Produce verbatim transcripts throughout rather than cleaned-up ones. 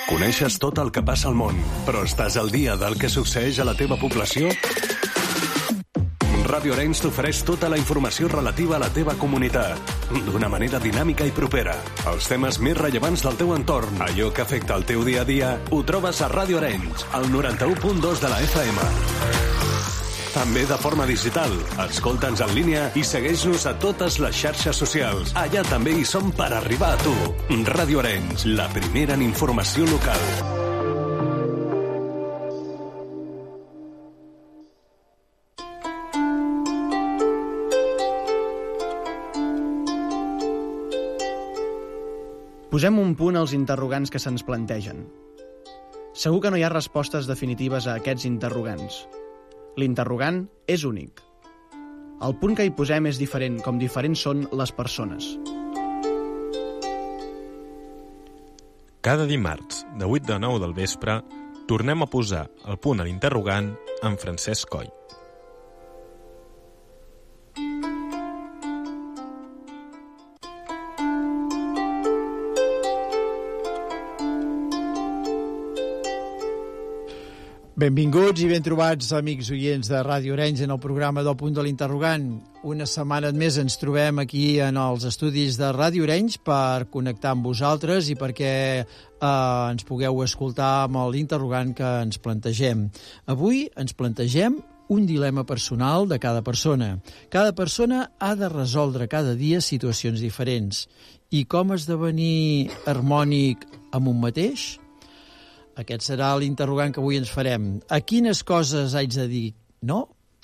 Coneixes tot el que passa al món, però estàs al dia del que succeeix a la teva població? Ràdio Arenys t'ofereix tota la informació relativa a la teva comunitat, d'una manera dinàmica i propera. Els temes més rellevants del teu entorn, allò que afecta el teu dia a dia, ho trobes a Ràdio Arenys, al noranta-u punt dos de la F M. També de forma digital. Escolta'ns en línia i segueix-nos a totes les xarxes socials. Allà també hi som per arribar a tu. Ràdio Arenys, la primera en informació local. Posem un punt als interrogants que se'ns plantegen. Segur que no hi ha respostes definitives a aquests interrogants. L'interrogant és únic. El punt que hi posem és diferent, com diferents són les persones. Cada dimarts, de vuit a nou del vespre, tornem a posar el punt a l'interrogant amb Francesc Coll. Benvinguts i ben trobats, amics oients de Ràdio Arenys, en el programa del Punt de l'Interrogant. Una setmana més ens trobem aquí en els estudis de Ràdio Arenys per connectar amb vosaltres i perquè eh, ens pugueu escoltar amb l'interrogant que ens plantegem. Avui ens plantegem un dilema personal de cada persona. Cada persona ha de resoldre cada dia situacions diferents. I com esdevenir harmònic amb un mateix? Aquest serà l'interrogant que avui ens farem. A quines coses haig de dir no?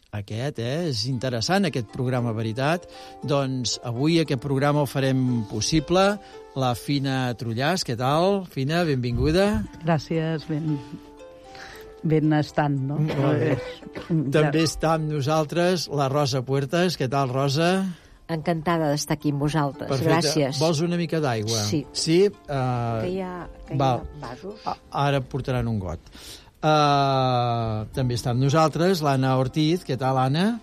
Aquest, eh? És interessant, aquest programa, veritat. Doncs avui aquest programa el farem possible. La Fina Trullàs, què tal? Fina, benvinguda. Gràcies, ben, ben estant, no? Molt bé. També està amb nosaltres la Rosa Puertas. Què tal, Rosa? Encantada d'estar aquí amb vosaltres. Perfecte. Gràcies. Vols una mica d'aigua? Sí. Sí? Uh, que hi ha, que hi ha vasos? Ara portaran un got. Uh, també està amb nosaltres l'Anna Ortiz. Què tal, Anna?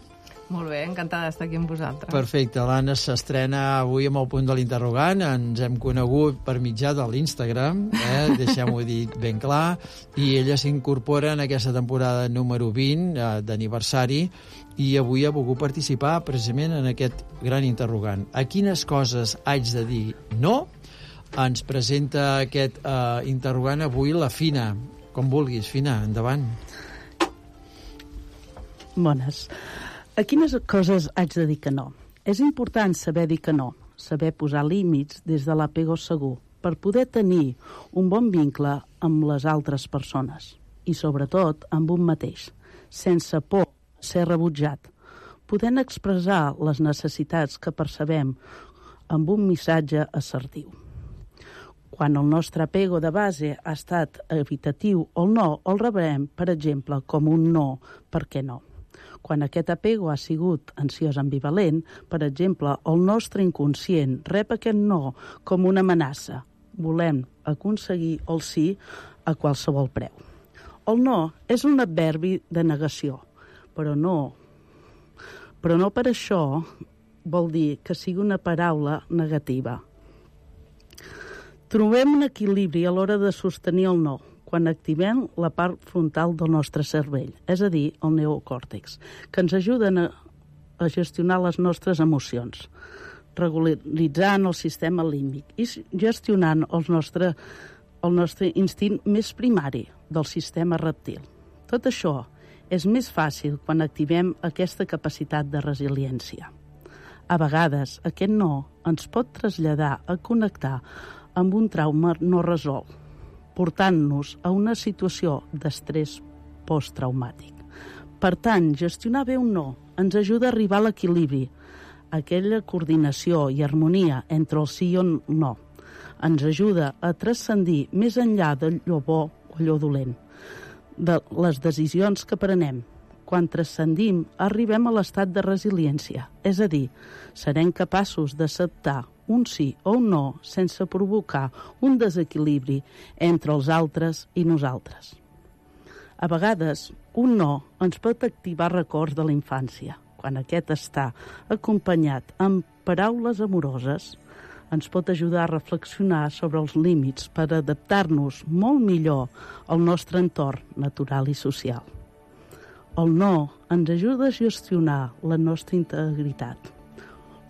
Molt bé, encantada d'estar aquí amb vosaltres. Perfecte. L'Anna s'estrena avui amb el punt de l'interrogant. Ens hem conegut per mitjà de l'Instagram, eh? Deixem-ho dir ben clar. I ella s'incorpora en aquesta temporada número vint eh, d'aniversari i avui ha volgut participar precisament en aquest gran interrogant. A quines coses haig de dir no? Ens presenta aquest eh, interrogant avui la Fina. Com vulguis, Fina, endavant. Bones. A quines coses haig de dir que no? És important saber dir que no, saber posar límits des de l'apego segur, per poder tenir un bon vincle amb les altres persones i, sobretot, amb un mateix, sense por ser rebutjat, podent expressar les necessitats que percebem amb un missatge assertiu. Quan el nostre apego de base ha estat evitatiu o no, el rebrem, per exemple, com un no, per què no? Quan aquest apego ha sigut ansiós ambivalent, per exemple, el nostre inconscient rep aquest no com una amenaça. Volem aconseguir el sí a qualsevol preu. El no és un adverbi de negació, però no, però no per això vol dir que sigui una paraula negativa. Trobem un equilibri a l'hora de sostenir el no, quan activem la part frontal del nostre cervell, és a dir, el neocòrtex, que ens ajuden a, a gestionar les nostres emocions, regularitzant el sistema límbic i gestionant el nostre, el nostre instint més primari del sistema reptil. Tot això és més fàcil quan activem aquesta capacitat de resiliència. A vegades, aquest no ens pot traslladar a connectar amb un trauma no resolt, portant-nos a una situació d'estrès posttraumàtic. Per tant, gestionar bé un no ens ajuda a arribar a l'equilibri, aquella coordinació i harmonia entre el sí i el no. Ens ajuda a transcendir més enllà d'allò bo o allò dolent, de les decisions que prenem. Quan transcendim, arribem a l'estat de resiliència, és a dir, serem capaços d'acceptar un sí o un no sense provocar un desequilibri entre els altres i nosaltres. A vegades, un no ens pot activar records de la infància. Quan aquest està acompanyat amb paraules amoroses, Ens pot ajudar a reflexionar sobre els límits per adaptar-nos molt millor al nostre entorn natural i social. El no ens ajuda a gestionar la nostra integritat.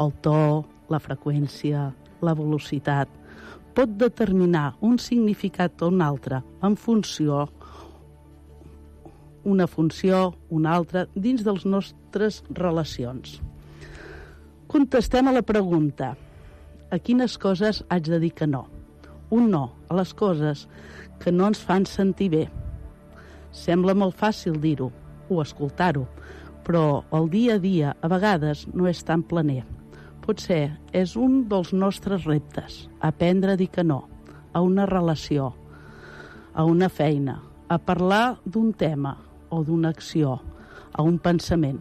El to, la freqüència, la velocitat pot determinar un significat o un altre en funció una funció, una altra, dins de les nostres relacions. Contestem a la pregunta: a quines coses haig de dir que no? Un no a les coses que no ens fan sentir bé. Sembla molt fàcil dir-ho o escoltar-ho, però el dia a dia a vegades no és tan planer. Potser és un dels nostres reptes, aprendre a dir que no a una relació, a una feina, a parlar d'un tema o d'una acció, a un pensament.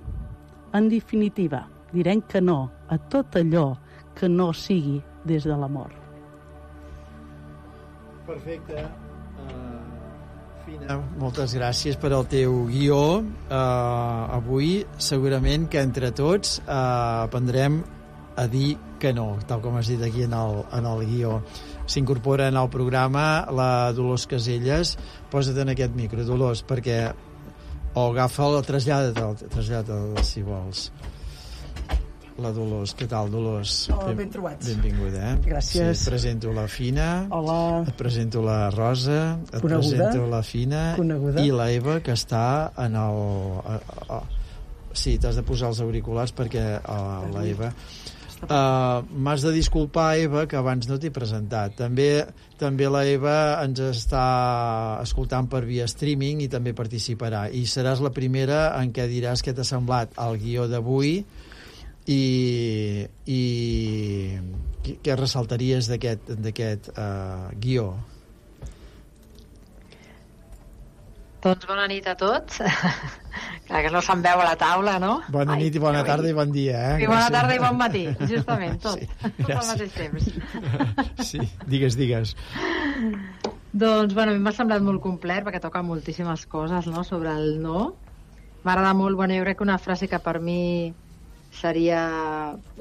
En definitiva, direm que no a tot allò que no sigui des de l'amor. Perfecte. Uh, Fina, moltes gràcies per al teu guió. Uh, avui, segurament que entre tots uh, aprendrem a dir que no, tal com has dit aquí en el, en el guió. S'incorpora en el programa la Dolors Caselles. Posa't en aquest micro, Dolors, perquè o agafa-la, trasllada-te'l, trasllada-te'l, si vols. La Dolors, què tal, Dolors? Hola, ben trobats. Benvinguda, eh? Gràcies. Sí, et presento la Fina. Hola. Et presento la Rosa. Et Coneguda. presento la Fina. Coneguda. I la Eva, que està en el... A, a, sí, t'has de posar els auriculars perquè uh, la Eva... Uh, m'has de disculpar, Eva, que abans no t'he presentat. També, també la Eva ens està escoltant per via streaming i també participarà. I seràs la primera en què diràs què t'ha semblat el guió d'avui i, i què ressaltaries d'aquest d'aquest uh, guió. Doncs bona nit a tots. Clar que no se'n veu a la taula, no? Bona Ai, nit i bona tarda i bon dia, eh? I bona tarda i bon matí, justament, tot. Sí, tot al mateix temps. Sí, digues, digues. Doncs, bueno, a mi m'ha semblat molt complet perquè toca moltíssimes coses, no?, sobre el no. M'agrada molt, bueno, jo crec que una frase que per mi seria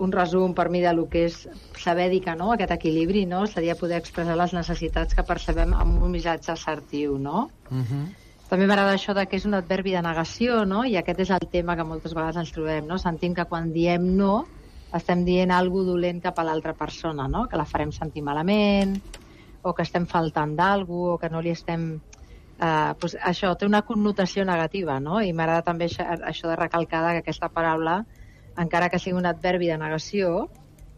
un resum per mi de lo que és saber dir que no, aquest equilibri, no?, seria poder expressar les necessitats que percebem amb un missatge assertiu, no? Uh -huh. També m'agrada això de que és un adverbi de negació, no? I aquest és el tema que moltes vegades ens trobem, no? Sentim que quan diem no estem dient alguna dolent cap a l'altra persona, no? Que la farem sentir malament, o que estem faltant d'algú, o que no li estem... Eh, doncs això té una connotació negativa, no? I m'agrada també això, això de recalcar que aquesta paraula, encara que sigui un adverbi de negació,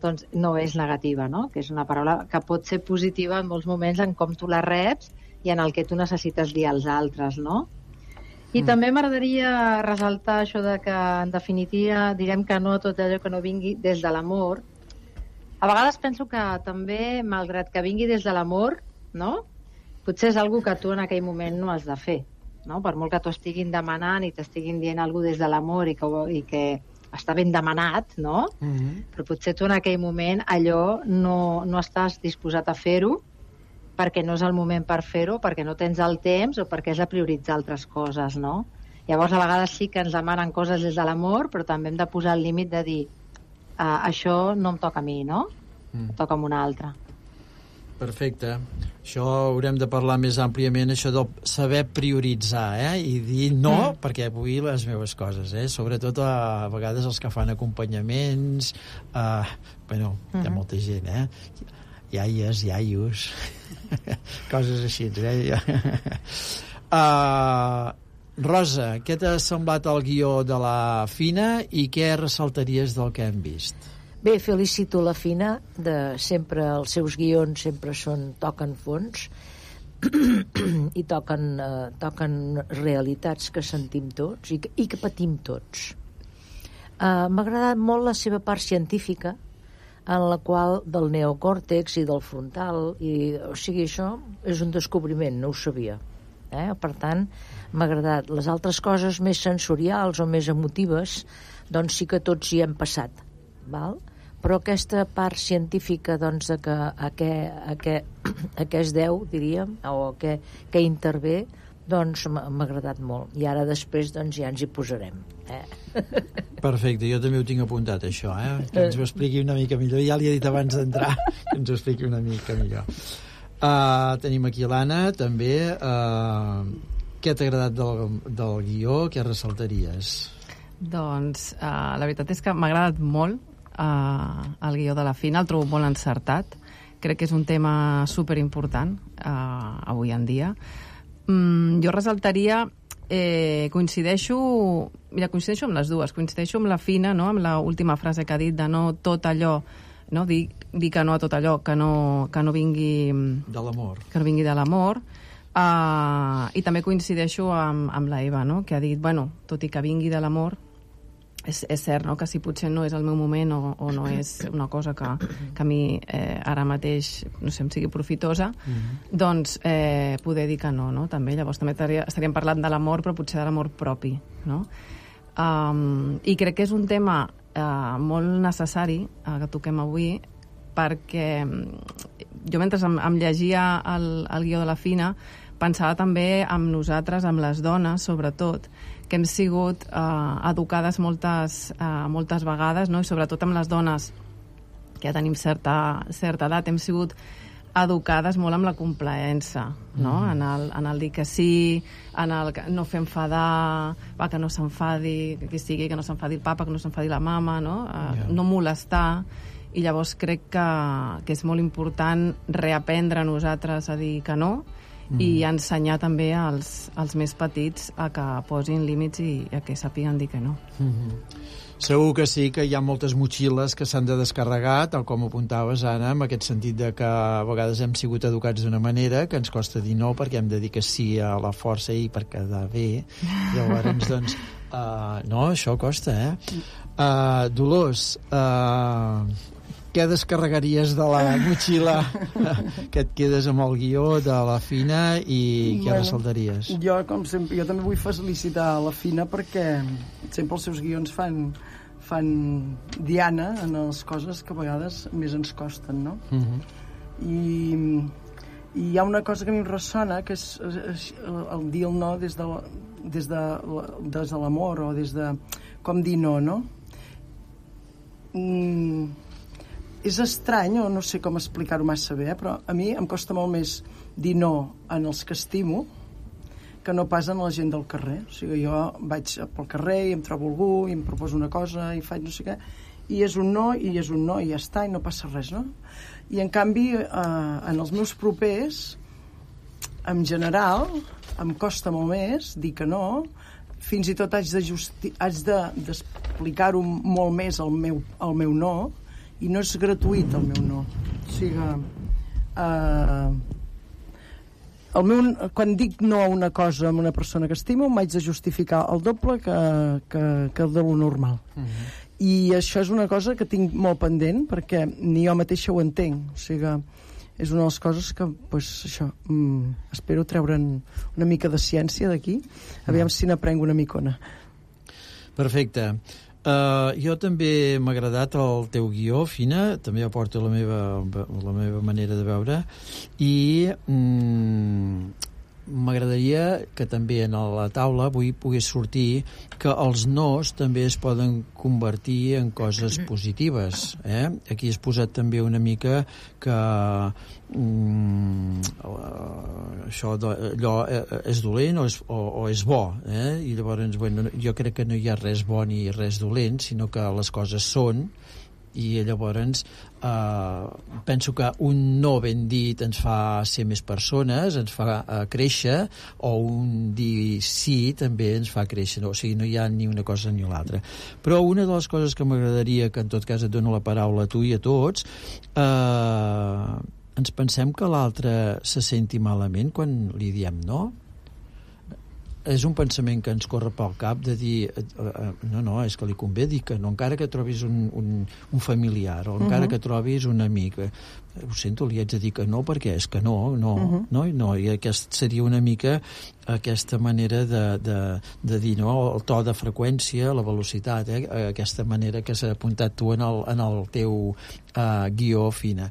doncs no és negativa, no? Que és una paraula que pot ser positiva en molts moments en com tu la reps i en el que tu necessites dir als altres, no? I mm. també m'agradaria ressaltar això de que, en definitiva, direm que no a tot allò que no vingui des de l'amor. A vegades penso que també, malgrat que vingui des de l'amor, no?, potser és algo que tu en aquell moment no has de fer, no? Per molt que t'ho estiguin demanant i t'estiguin dient alguna des de l'amor i que, i que està ben demanat, no? Mm-hmm. Però potser tu en aquell moment allò no, no estàs disposat a fer-ho perquè no és el moment per fer-ho, perquè no tens el temps o perquè has de prioritzar altres coses, no? Llavors, a vegades sí que ens demanen coses des de l'amor, però també hem de posar el límit de dir uh, això no em toca a mi, no? Mm. Toca a un altre. Perfecte. Això haurem de parlar més àmpliament, això de saber prioritzar, eh? I dir no, mm. perquè vull les meves coses, eh? Sobretot a, a vegades els que fan acompanyaments, uh, bueno, mm-hmm. hi ha molta gent, eh? Iaies, iaios, coses així, eh? uh, Rosa, què t'ha semblat el guió de la Fina i què ressaltaries del que hem vist? Bé, felicito la Fina, de sempre els seus guions sempre són, toquen fons i toquen, eh, toquen realitats que sentim tots i que, i que patim tots. Uh, m'ha agradat molt la seva part científica, en la qual del neocòrtex i del frontal, i, o sigui, això és un descobriment, no ho sabia. Eh? Per tant, m'ha agradat. Les altres coses més sensorials o més emotives, doncs sí que tots hi hem passat, val? Però aquesta part científica, doncs, de que a què, a què, a què es deu, diríem, o a què, què intervé, doncs m'ha agradat molt. I ara després doncs ja ens hi posarem. Eh? Perfecte, jo també ho tinc apuntat, això, eh? Que ens ho expliqui una mica millor. Ja li he dit abans d'entrar que ens ho expliqui una mica millor. Uh, tenim aquí l'Anna, també. Uh, què t'ha agradat del, del guió? Què ressaltaries? Doncs uh, la veritat és que m'ha agradat molt uh, el guió de la Fina, el trobo molt encertat. Crec que és un tema superimportant uh, avui en dia. Mm, jo ressaltaria, eh, coincideixo, mira, coincideixo amb les dues, coincideixo amb la Fina, no?, amb l'última frase que ha dit de no tot allò, no?, dir, dir que no a tot allò, que no, que no vingui... De l'amor. Que no vingui de l'amor. Uh, I també coincideixo amb, amb la Eva, no?, que ha dit, bueno, tot i que vingui de l'amor, és, és cert, no?, que si potser no és el meu moment o, o no és una cosa que, que a mi eh, ara mateix, no sé, em sigui profitosa, mm-hmm. doncs eh, poder dir que no, no?, també. Llavors també estaríem parlant de l'amor, però potser de l'amor propi, no? Um, I crec que és un tema eh, molt necessari eh, que toquem avui, perquè jo mentre em, em llegia el, el guió de la Fina pensava també amb nosaltres, amb les dones, sobretot, que hem sigut eh, educades moltes, eh, moltes vegades, no?, i sobretot amb les dones que ja tenim certa, certa edat, hem sigut educades molt amb la complaença, no?, mm. en, el, en el dir que sí, en el que no fer enfadar, va, que no s'enfadi, que qui sigui, que no s'enfadi el papa, que no s'enfadi la mama, no?, eh, yeah. no molestar. I llavors crec que, que és molt important reaprendre a nosaltres a dir que no, Mm. i ensenyar també als, als més petits a que posin límits i a que sàpiguen dir que no. Mm-hmm. Segur que sí, que hi ha moltes motxilles que s'han de descarregar, tal com apuntaves, Anna, en aquest sentit de que a vegades hem sigut educats d'una manera que ens costa dir no perquè hem de dir que sí a la força i per quedar bé. Llavors, doncs, uh, no, això costa, eh? Uh, Dolors, uh, què descarregaries de la motxilla que et quedes amb el guió de la Fina i què bueno, ressaltaries? Jo, com sempre, jo també vull felicitar la Fina perquè sempre els seus guions fan, fan diana en les coses que a vegades més ens costen, no? Uh-huh. I, i hi ha una cosa que a mi em ressona, que és, és el dir el no des de, des de, des de l'amor o des de com dir no, no? Mm, és estrany, o no sé com explicar-ho massa bé, eh? Però a mi em costa molt més dir no en els que estimo que no pas en la gent del carrer. O sigui, jo vaig pel carrer i em trobo algú i em proposo una cosa i faig no sé què, i és un no, i és un no, i ja està, i no passa res, no? I en canvi, eh, en els meus propers, en general, em costa molt més dir que no, fins i tot haig de justi- haig de, d'explicar-ho molt més el meu, el meu no, i no és gratuït el meu no. O sigui, eh, el meu, quan dic no a una cosa amb una persona que estimo, m'haig de justificar el doble que, que, que el de lo normal. Uh-huh. I això és una cosa que tinc molt pendent, perquè ni jo mateixa ho entenc. O sigui, és una de les coses que, pues, això, mm, espero treure'n una mica de ciència d'aquí, aviam si n'aprenc una micona. Perfecte. Uh, jo també m'ha agradat el teu guió, Fina, també aporto la meva, la meva manera de veure, i mm, m'agradaria que també en la taula avui pogués sortir que els nos també es poden convertir en coses positives, eh? Aquí has posat també una mica que mm, això allò és dolent o és, o, o és bo, eh? I llavors, bueno, jo crec que no hi ha res bo ni res dolent, sinó que les coses són, i llavors eh, penso que un no ben dit ens fa ser més persones, ens fa eh, créixer, o un dir sí també ens fa créixer, no? O sigui, no hi ha ni una cosa ni l'altra. Però una de les coses que m'agradaria, que en tot cas et dono la paraula a tu i a tots, eh, ens pensem que l'altre se senti malament quan li diem no? És un pensament que ens corre pel cap de dir, no, no, és que li convé dir que no, encara que trobis un, un, un familiar o encara uh-huh. que trobis un amic. Ho sento, li haig de dir que no, perquè és que no, no, uh-huh. no, no, i aquest seria una mica aquesta manera de, de, de dir, no, el to de freqüència, la velocitat, eh? Aquesta manera que s'ha apuntat tu en el, en el teu uh, guió, Fina.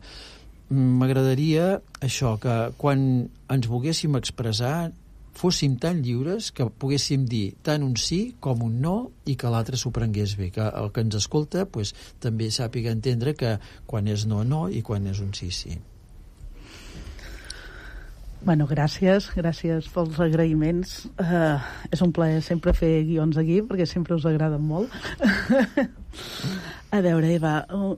M'agradaria això, que quan ens volguéssim expressar fóssim tan lliures que poguéssim dir tant un sí com un no i que l'altre s'ho prengués bé, que el que ens escolta pues, també sàpiga entendre que quan és no, no i quan és un sí, sí. Bueno, gràcies, gràcies pels agraïments. Uh, és un plaer sempre fer guions aquí, perquè sempre us agraden molt. A veure, Eva,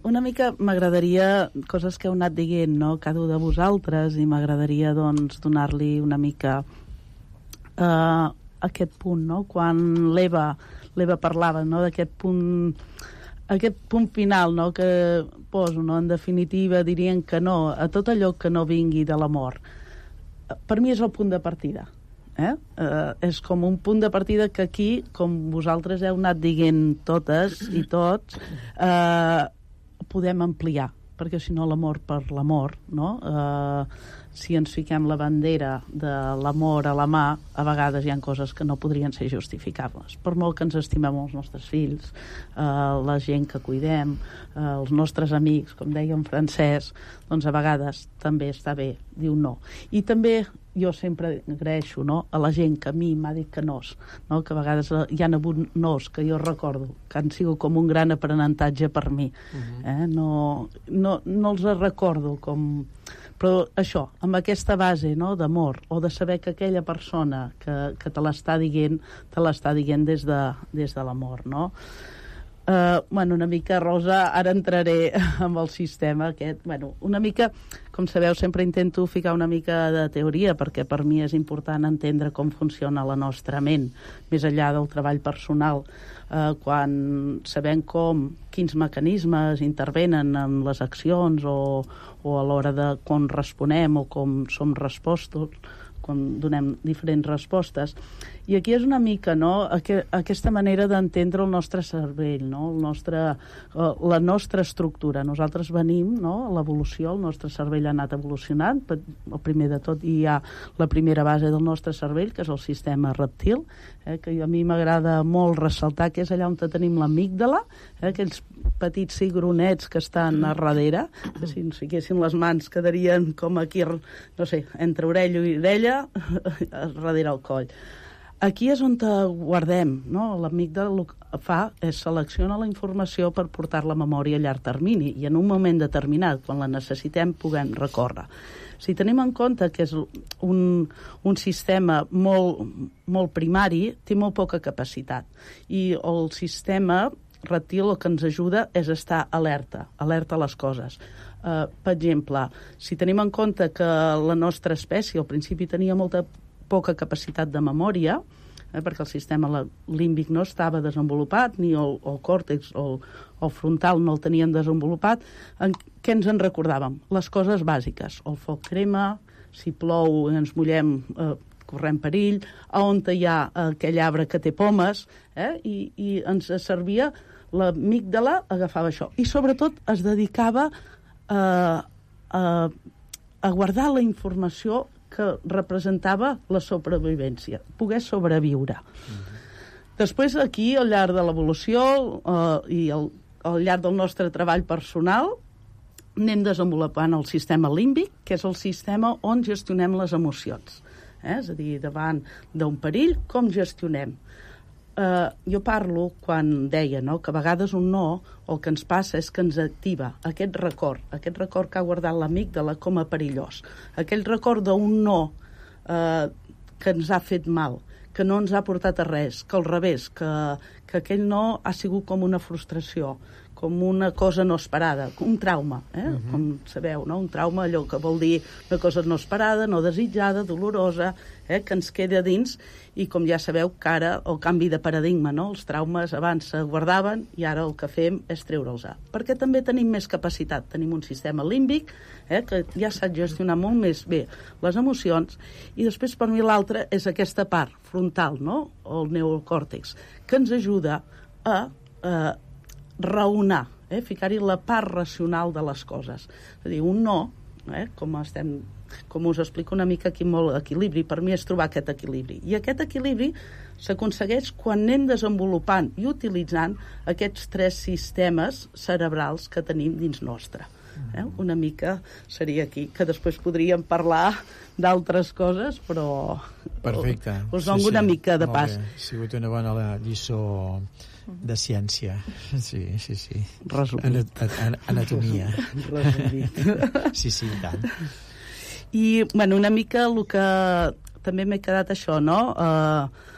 una mica m'agradaria coses que heu anat dient, no?, cada un de vosaltres, i m'agradaria, doncs, donar-li una mica uh, aquest punt, no?, quan l'Eva l'Eva parlava, no?, d'aquest punt aquest punt final, no?, que poso, no?, en definitiva dirien que no a tot allò que no vingui de l'amor. Per mi és el punt de partida. Eh? Uh, és com un punt de partida que aquí, com vosaltres heu anat dient totes i tots, uh, podem ampliar, perquè si no l'amor per l'amor, no? Uh, si ens fiquem la bandera de l'amor a la mà, a vegades hi ha coses que no podrien ser justificables. Per molt que ens estimem els nostres fills, uh, la gent que cuidem, uh, els nostres amics, com deia en Francesc, doncs a vegades també està bé dir un no. I també jo sempre agraeixo, no?, a la gent que a mi m'ha dit que nos, no?, que a vegades hi ha hagut nos que jo recordo, que han sigut com un gran aprenentatge per mi. Uh-huh. eh? no, no, no els recordo com... Però això, amb aquesta base, no?, d'amor, o de saber que aquella persona que, que te l'està dient, te l'està dient des de, des de l'amor, no? Uh, bueno, una mica, Rosa, ara entraré amb el sistema aquest. Bueno, una mica, com sabeu, sempre intento ficar una mica de teoria, perquè per mi és important entendre com funciona la nostra ment, més enllà del treball personal. Uh, quan sabem com, quins mecanismes intervenen en les accions o, o a l'hora de com responem o com som respostos, quan donem diferents respostes. I aquí és una mica, no?, aqu aquesta manera d'entendre el nostre cervell, no?, el nostre, uh, la nostra estructura. Nosaltres venim, no?, a l'evolució, el nostre cervell ha anat evolucionant. El primer de tot hi ha la primera base del nostre cervell, que és el sistema reptil, eh, que a mi m'agrada molt ressaltar, que és allà on tenim l'amígdala, eh, aquells petits cigronets que estan a darrere, que si ens fiquessin les mans quedarien com aquí, no sé, entre orella i orella, darrere el coll. Aquí és on guardem, no? L'amígdala el que fa és selecciona la informació per portar-la a memòria a llarg termini i en un moment determinat, quan la necessitem, puguem recórrer. Si tenim en compte que és un, un sistema molt, molt primari, té molt poca capacitat. I el sistema reptil el que ens ajuda és estar alerta, alerta a les coses. Uh, per exemple, si tenim en compte que la nostra espècie al principi tenia molta poca capacitat de memòria, eh, perquè el sistema límbic no estava desenvolupat, ni el, el còrtex o el, el frontal no el tenien desenvolupat, en què ens en recordàvem? Les coses bàsiques. El foc crema, si plou ens mullem, eh, correm perill, a on hi ha aquell arbre que té pomes, eh, i, i ens servia, l'amígdala agafava això. I sobretot es dedicava a, a, a guardar la informació que representava la sobrevivència, poder sobreviure. Mm-hmm. Després, aquí, al llarg de l'evolució eh, i al, al llarg del nostre treball personal, anem desenvolupant el sistema límbic, que és el sistema on gestionem les emocions. Eh? És a dir, davant d'un perill, com gestionem? Uh, jo parlo quan deia, no?, que a vegades un no, el que ens passa és que ens activa aquest record, aquest record que ha guardat l'amígdala com a perillós, aquell record d'un no uh, que ens ha fet mal, que no ens ha portat a res, que al revés, que, que aquell no ha sigut com una frustració, com una cosa no esperada, un trauma, eh? Uh-huh. Com sabeu, no? Un trauma, allò que vol dir una cosa no esperada, no desitjada, dolorosa, eh? Que ens queda dins, i com ja sabeu que ara el canvi de paradigma, no? Els traumes abans se guardaven i ara el que fem és treure'ls. Perquè també tenim més capacitat, tenim un sistema límbic, eh? Que ja sap gestionar molt més bé les emocions, i després per mi l'altre és aquesta part frontal, no? El neocòrtex, que ens ajuda a eh, raonar, eh? Ficar-hi la part racional de les coses. És a dir, un no, eh? com, estem, com us explico una mica aquí molt equilibri, per mi és trobar aquest equilibri. I aquest equilibri s'aconsegueix quan anem desenvolupant i utilitzant aquests tres sistemes cerebrals que tenim dins nostre. Eh? Una mica seria aquí, que després podríem parlar d'altres coses, però perfecte. Us dono sí, una sí. mica de pas. Ha sigut una bona lliçó de ciència. Sí, sí, sí. Resumit. An anatomia. Resumit. Sí, sí, i tant. I, bueno, una mica el que també m'he quedat això, no? Uh,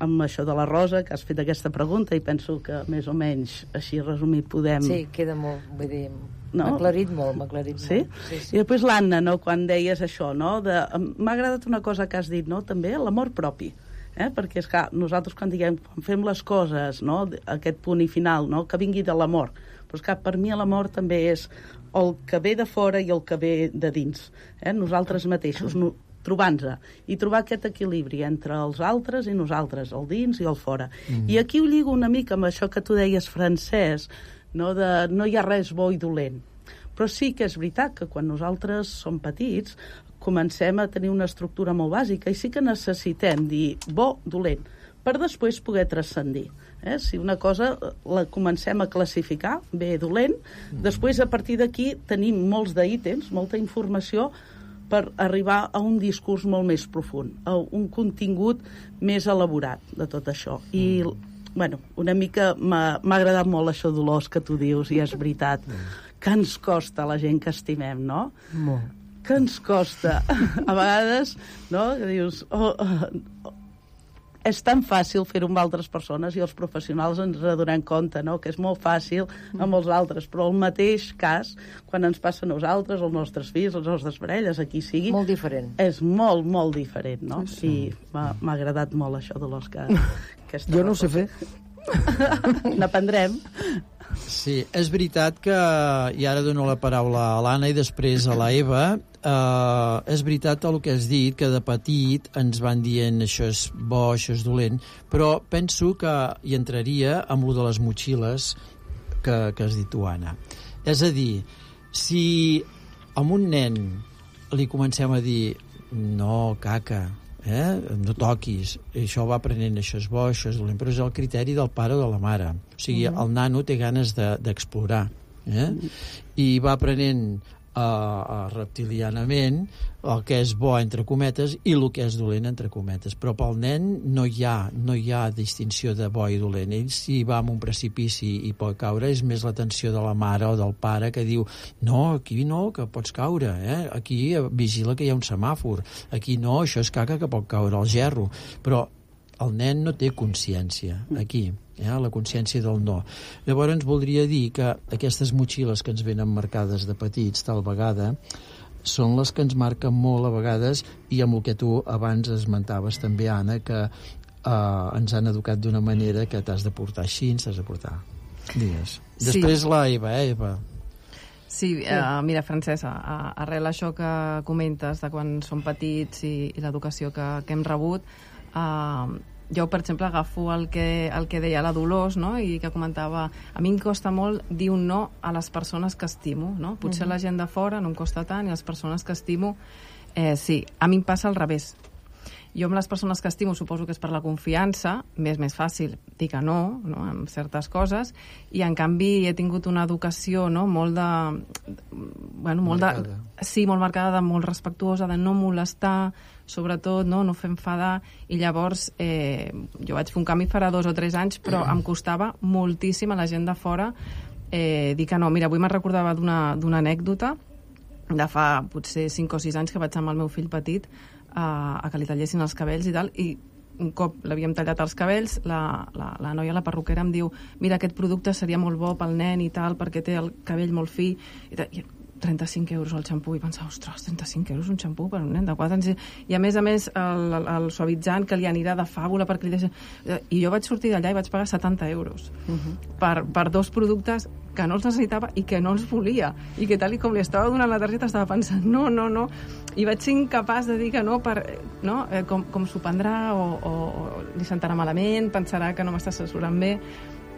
amb això de la Rosa, que has fet aquesta pregunta, i penso que més o menys així resumit podem... Sí, queda molt, vull dir... No? M'ha aclarit molt, m'ha aclarit sí? molt. Sí, sí. I després l'Anna, no?, quan deies això, no?, de... m'ha agradat una cosa que has dit, no?, també l'amor propi, eh? Perquè és que nosaltres quan diguem, quan fem les coses, no?, aquest punt i final, no?, que vingui de l'amor, però és que per mi l'amor també és el que ve de fora i el que ve de dins, eh? Nosaltres mateixos, no, trobant-se, i trobar aquest equilibri entre els altres i nosaltres, el dins i el fora. Mm. I aquí ho lligo una mica amb això que tu deies, Francesc, no, de no hi ha res bo i dolent. Però sí que és veritat que quan nosaltres som petits comencem a tenir una estructura molt bàsica i sí que necessitem dir bo, dolent, per després poder transcendir. Eh? Si una cosa la comencem a classificar, bé, dolent, mm. després a partir d'aquí tenim molts d'ítems, molta informació per arribar a un discurs molt més profund, a un contingut més elaborat de tot això. I, bueno, una mica m'ha agradat molt això, Dolors, que tu dius, i és veritat, que ens costa la gent que estimem, no? Molt. Que ens costa. A vegades, no?, que dius... Oh, oh, és tan fàcil fer-ho amb altres persones i els professionals ens adonem compte, no?, que és molt fàcil amb els altres, però el mateix cas, quan ens passa a nosaltres, als nostres fills, les nostres parelles, a qui sigui... Molt diferent. És molt, molt diferent, no? Sí. I m'ha agradat molt això, Dolors, que... Jo no ho sé fer. N'aprendrem. Sí, és veritat que, i ara dono la paraula a l'Anna i després a la Eva, eh, és veritat el que has dit, que de petit ens van dient això és bo, això és dolent, però penso que hi entraria amb lo de les motxilles que, que has dit tu, Anna. És a dir, si a un nen li comencem a dir no, caca, eh? no toquis, això va aprenent, això és bo, això és dolent, però és el criteri del pare o de la mare. O sigui, mm-hmm. el nano té ganes d'explorar, de, eh? Mm-hmm. i va aprenent uh, uh, reptilianament el que és bo, entre cometes, i el que és dolent, entre cometes. Però pel nen no hi ha, no hi ha distinció de bo i dolent. Ell, si va a un precipici i pot caure, és més l'atenció de la mare o del pare que diu no, aquí no, que pots caure, eh? Aquí vigila que hi ha un semàfor, aquí no, això és caca que pot caure al gerro. Però el nen no té consciència, aquí, eh? la consciència del no. Llavors voldria dir que aquestes motxilles que ens venen marcades de petits, tal vegada, són les que ens marquen molt a vegades, i amb el que tu abans esmentaves també, Anna, que eh, ens han educat d'una manera que t'has de portar així, t'has de portar. Digues. Sí. Després la Eva, eh, Eva? Sí, uh, mira, Francesc, uh, arrel això que comentes de quan som petits i, i l'educació que, que hem rebut, uh, jo, per exemple, agafo el que, el que deia la Dolors, no?, i que comentava, a mi em costa molt dir un no a les persones que estimo, no? Potser uh-huh. la gent de fora no em costa tant, i les persones que estimo, eh, sí. A mi em passa al revés. Jo amb les persones que estimo suposo que és per la confiança, m'és més fàcil dir que no, no, en certes coses, i en canvi he tingut una educació, no?, molt de... Bueno, molt marcada. De, sí, molt marcada, de, molt respectuosa, de no molestar, sobretot, no, no fer enfadar, i llavors eh, jo vaig fer un canvi farà dos o tres anys, però em costava moltíssim a la gent de fora eh, dir que no. Mira, avui me'n recordava d'una anècdota de fa potser cinc o sis anys que vaig amb el meu fill petit a, a que li tallessin els cabells i tal, i un cop l'havíem tallat els cabells, la, la, la noia, la perruquera, em diu mira, aquest producte seria molt bo pel nen i tal, perquè té el cabell molt fi, i, tal, i trenta-cinc euros el xampú, i pensava, ostres, trenta-cinc euros un xampú per un nen de quatre anys, i a més a més el, el, el suavitzant que li anirà de fàbula perquè li deixa... I jo vaig sortir d'allà i vaig pagar setanta euros uh-huh. per, per dos productes que no els necessitava i que no els volia, i que tal i com li estava donant la targeta estava pensant, no, no, no, i vaig ser incapaç de dir que no, per, no? Eh, com, com s'ho prendrà o, o, o li sentarà malament, pensarà que no m'està assessorant bé.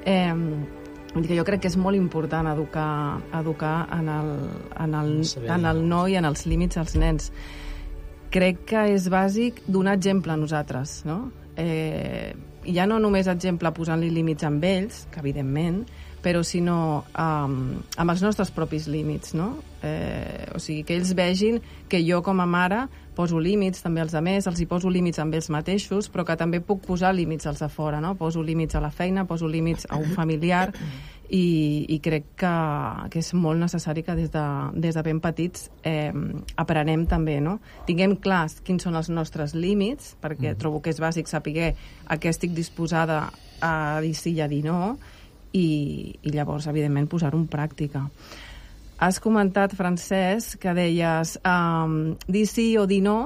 Eh, Vull dir que jo crec que és molt important educar, educar en, el, en, el, en el no i en els límits als nens. Crec que és bàsic donar exemple a nosaltres, no? Eh, ja no només exemple posant-li límits amb ells, que evidentment, però sinó um, amb els nostres propis límits, no? Eh, o sigui, que ells vegin que jo com a mare poso límits també als altres, els hi poso límits amb ells mateixos, però que també puc posar límits als de fora, no? Poso límits a la feina, poso límits a un familiar, i, i crec que, que és molt necessari que des de, des de ben petits eh, aprenem també, no? Tinguem clars quins són els nostres límits, perquè mm. trobo que és bàsic saber a què estic disposada a dir sí i a dir no, i, i llavors, evidentment, posar-ho en pràctica. Has comentat, Francesc, que deies um, dir sí o dir no,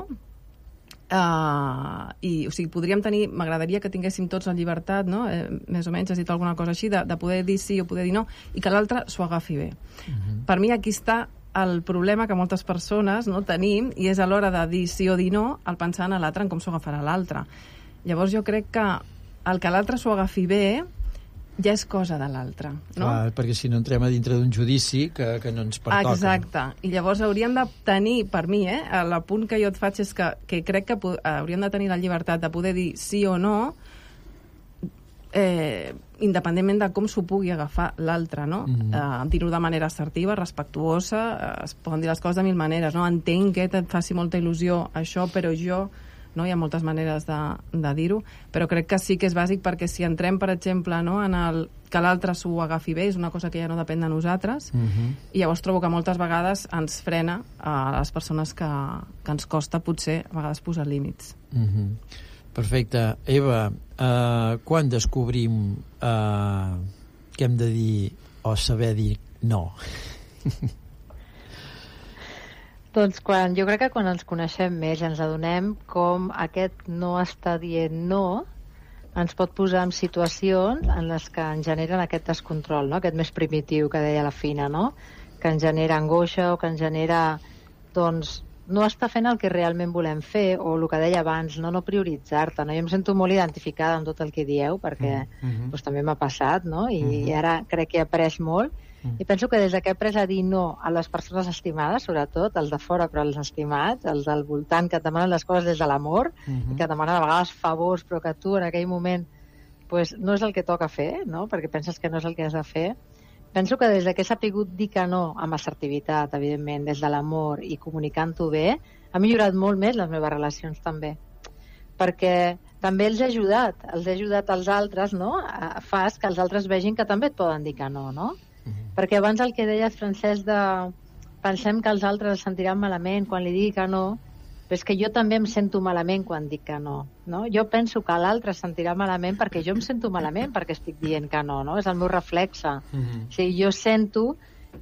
Uh, i, o sigui, podríem tenir, m'agradaria que tinguéssim tots la llibertat, no? Eh, més o menys has dit alguna cosa així, de, de poder dir sí o poder dir no, i que l'altre s'ho agafi bé. Uh-huh. Per mi aquí està el problema que moltes persones no tenim, i és a l'hora de dir sí o dir no, el pensar en l'altre, en com s'ho agafarà l'altre. Llavors jo crec que el que l'altre s'ho agafi bé ja és cosa de l'altre, no? Clar, perquè si no entrem a dintre d'un judici que, que no ens pertoca. Exacte, i llavors hauríem de tenir, per mi, eh, l'apunt que jo et faig és que, que crec que hauríem de tenir la llibertat de poder dir sí o no, eh, independentment de com s'ho pugui agafar l'altre, no? Mm. Eh, dir-ho de manera assertiva, respectuosa, eh, es poden dir les coses de mil maneres, no? Entenc que et faci molta il·lusió això, però jo... No? Hi ha moltes maneres de, de dir-ho, però crec que sí que és bàsic, perquè si entrem, per exemple, no, en el que l'altre s'ho agafi bé, és una cosa que ja no depèn de nosaltres, uh-huh. i llavors trobo que moltes vegades ens frena a les persones que, que ens costa, potser, a vegades posar límits. Uh-huh. Perfecte. Eva, uh, quan descobrim uh, que hem de dir o saber dir no? Doncs quan, jo crec que quan ens coneixem més ens adonem com aquest no està dient no ens pot posar en situacions en les que ens generen aquest descontrol, no? Aquest més primitiu que deia la Fina, no? Que ens genera angoixa o que ens genera, doncs, no està fent el que realment volem fer, o el que deia abans, no, no prioritzar-te, no? Jo em sento molt identificada amb tot el que dieu, perquè mm-hmm. doncs, també m'ha passat, no? I, mm-hmm. i ara crec que he après molt. I penso que des que he après a dir no a les persones estimades, sobretot, els de fora, però els estimats, els del voltant, que et demanen les coses des de l'amor, uh-huh. i que et demanen a vegades favors, però que tu en aquell moment pues, no és el que toca fer, no? Perquè penses que no és el que has de fer. Penso que des que he sapigut dir que no, amb assertivitat, evidentment, des de l'amor i comunicant-ho bé, ha millorat molt més les meves relacions també. Perquè també els he ajudat, els he ajudat als altres, no? Fas que els altres vegin que també et poden dir que no, no? Perquè abans el que deies, Francesc, de pensem que els altres es sentiran malament quan li digui que no, però és que jo també em sento malament quan dic que no, no? Jo penso que l'altre es sentirà malament perquè jo em sento malament perquè estic dient que no, no? És el meu reflexe. Mm-hmm. O sigui, jo sento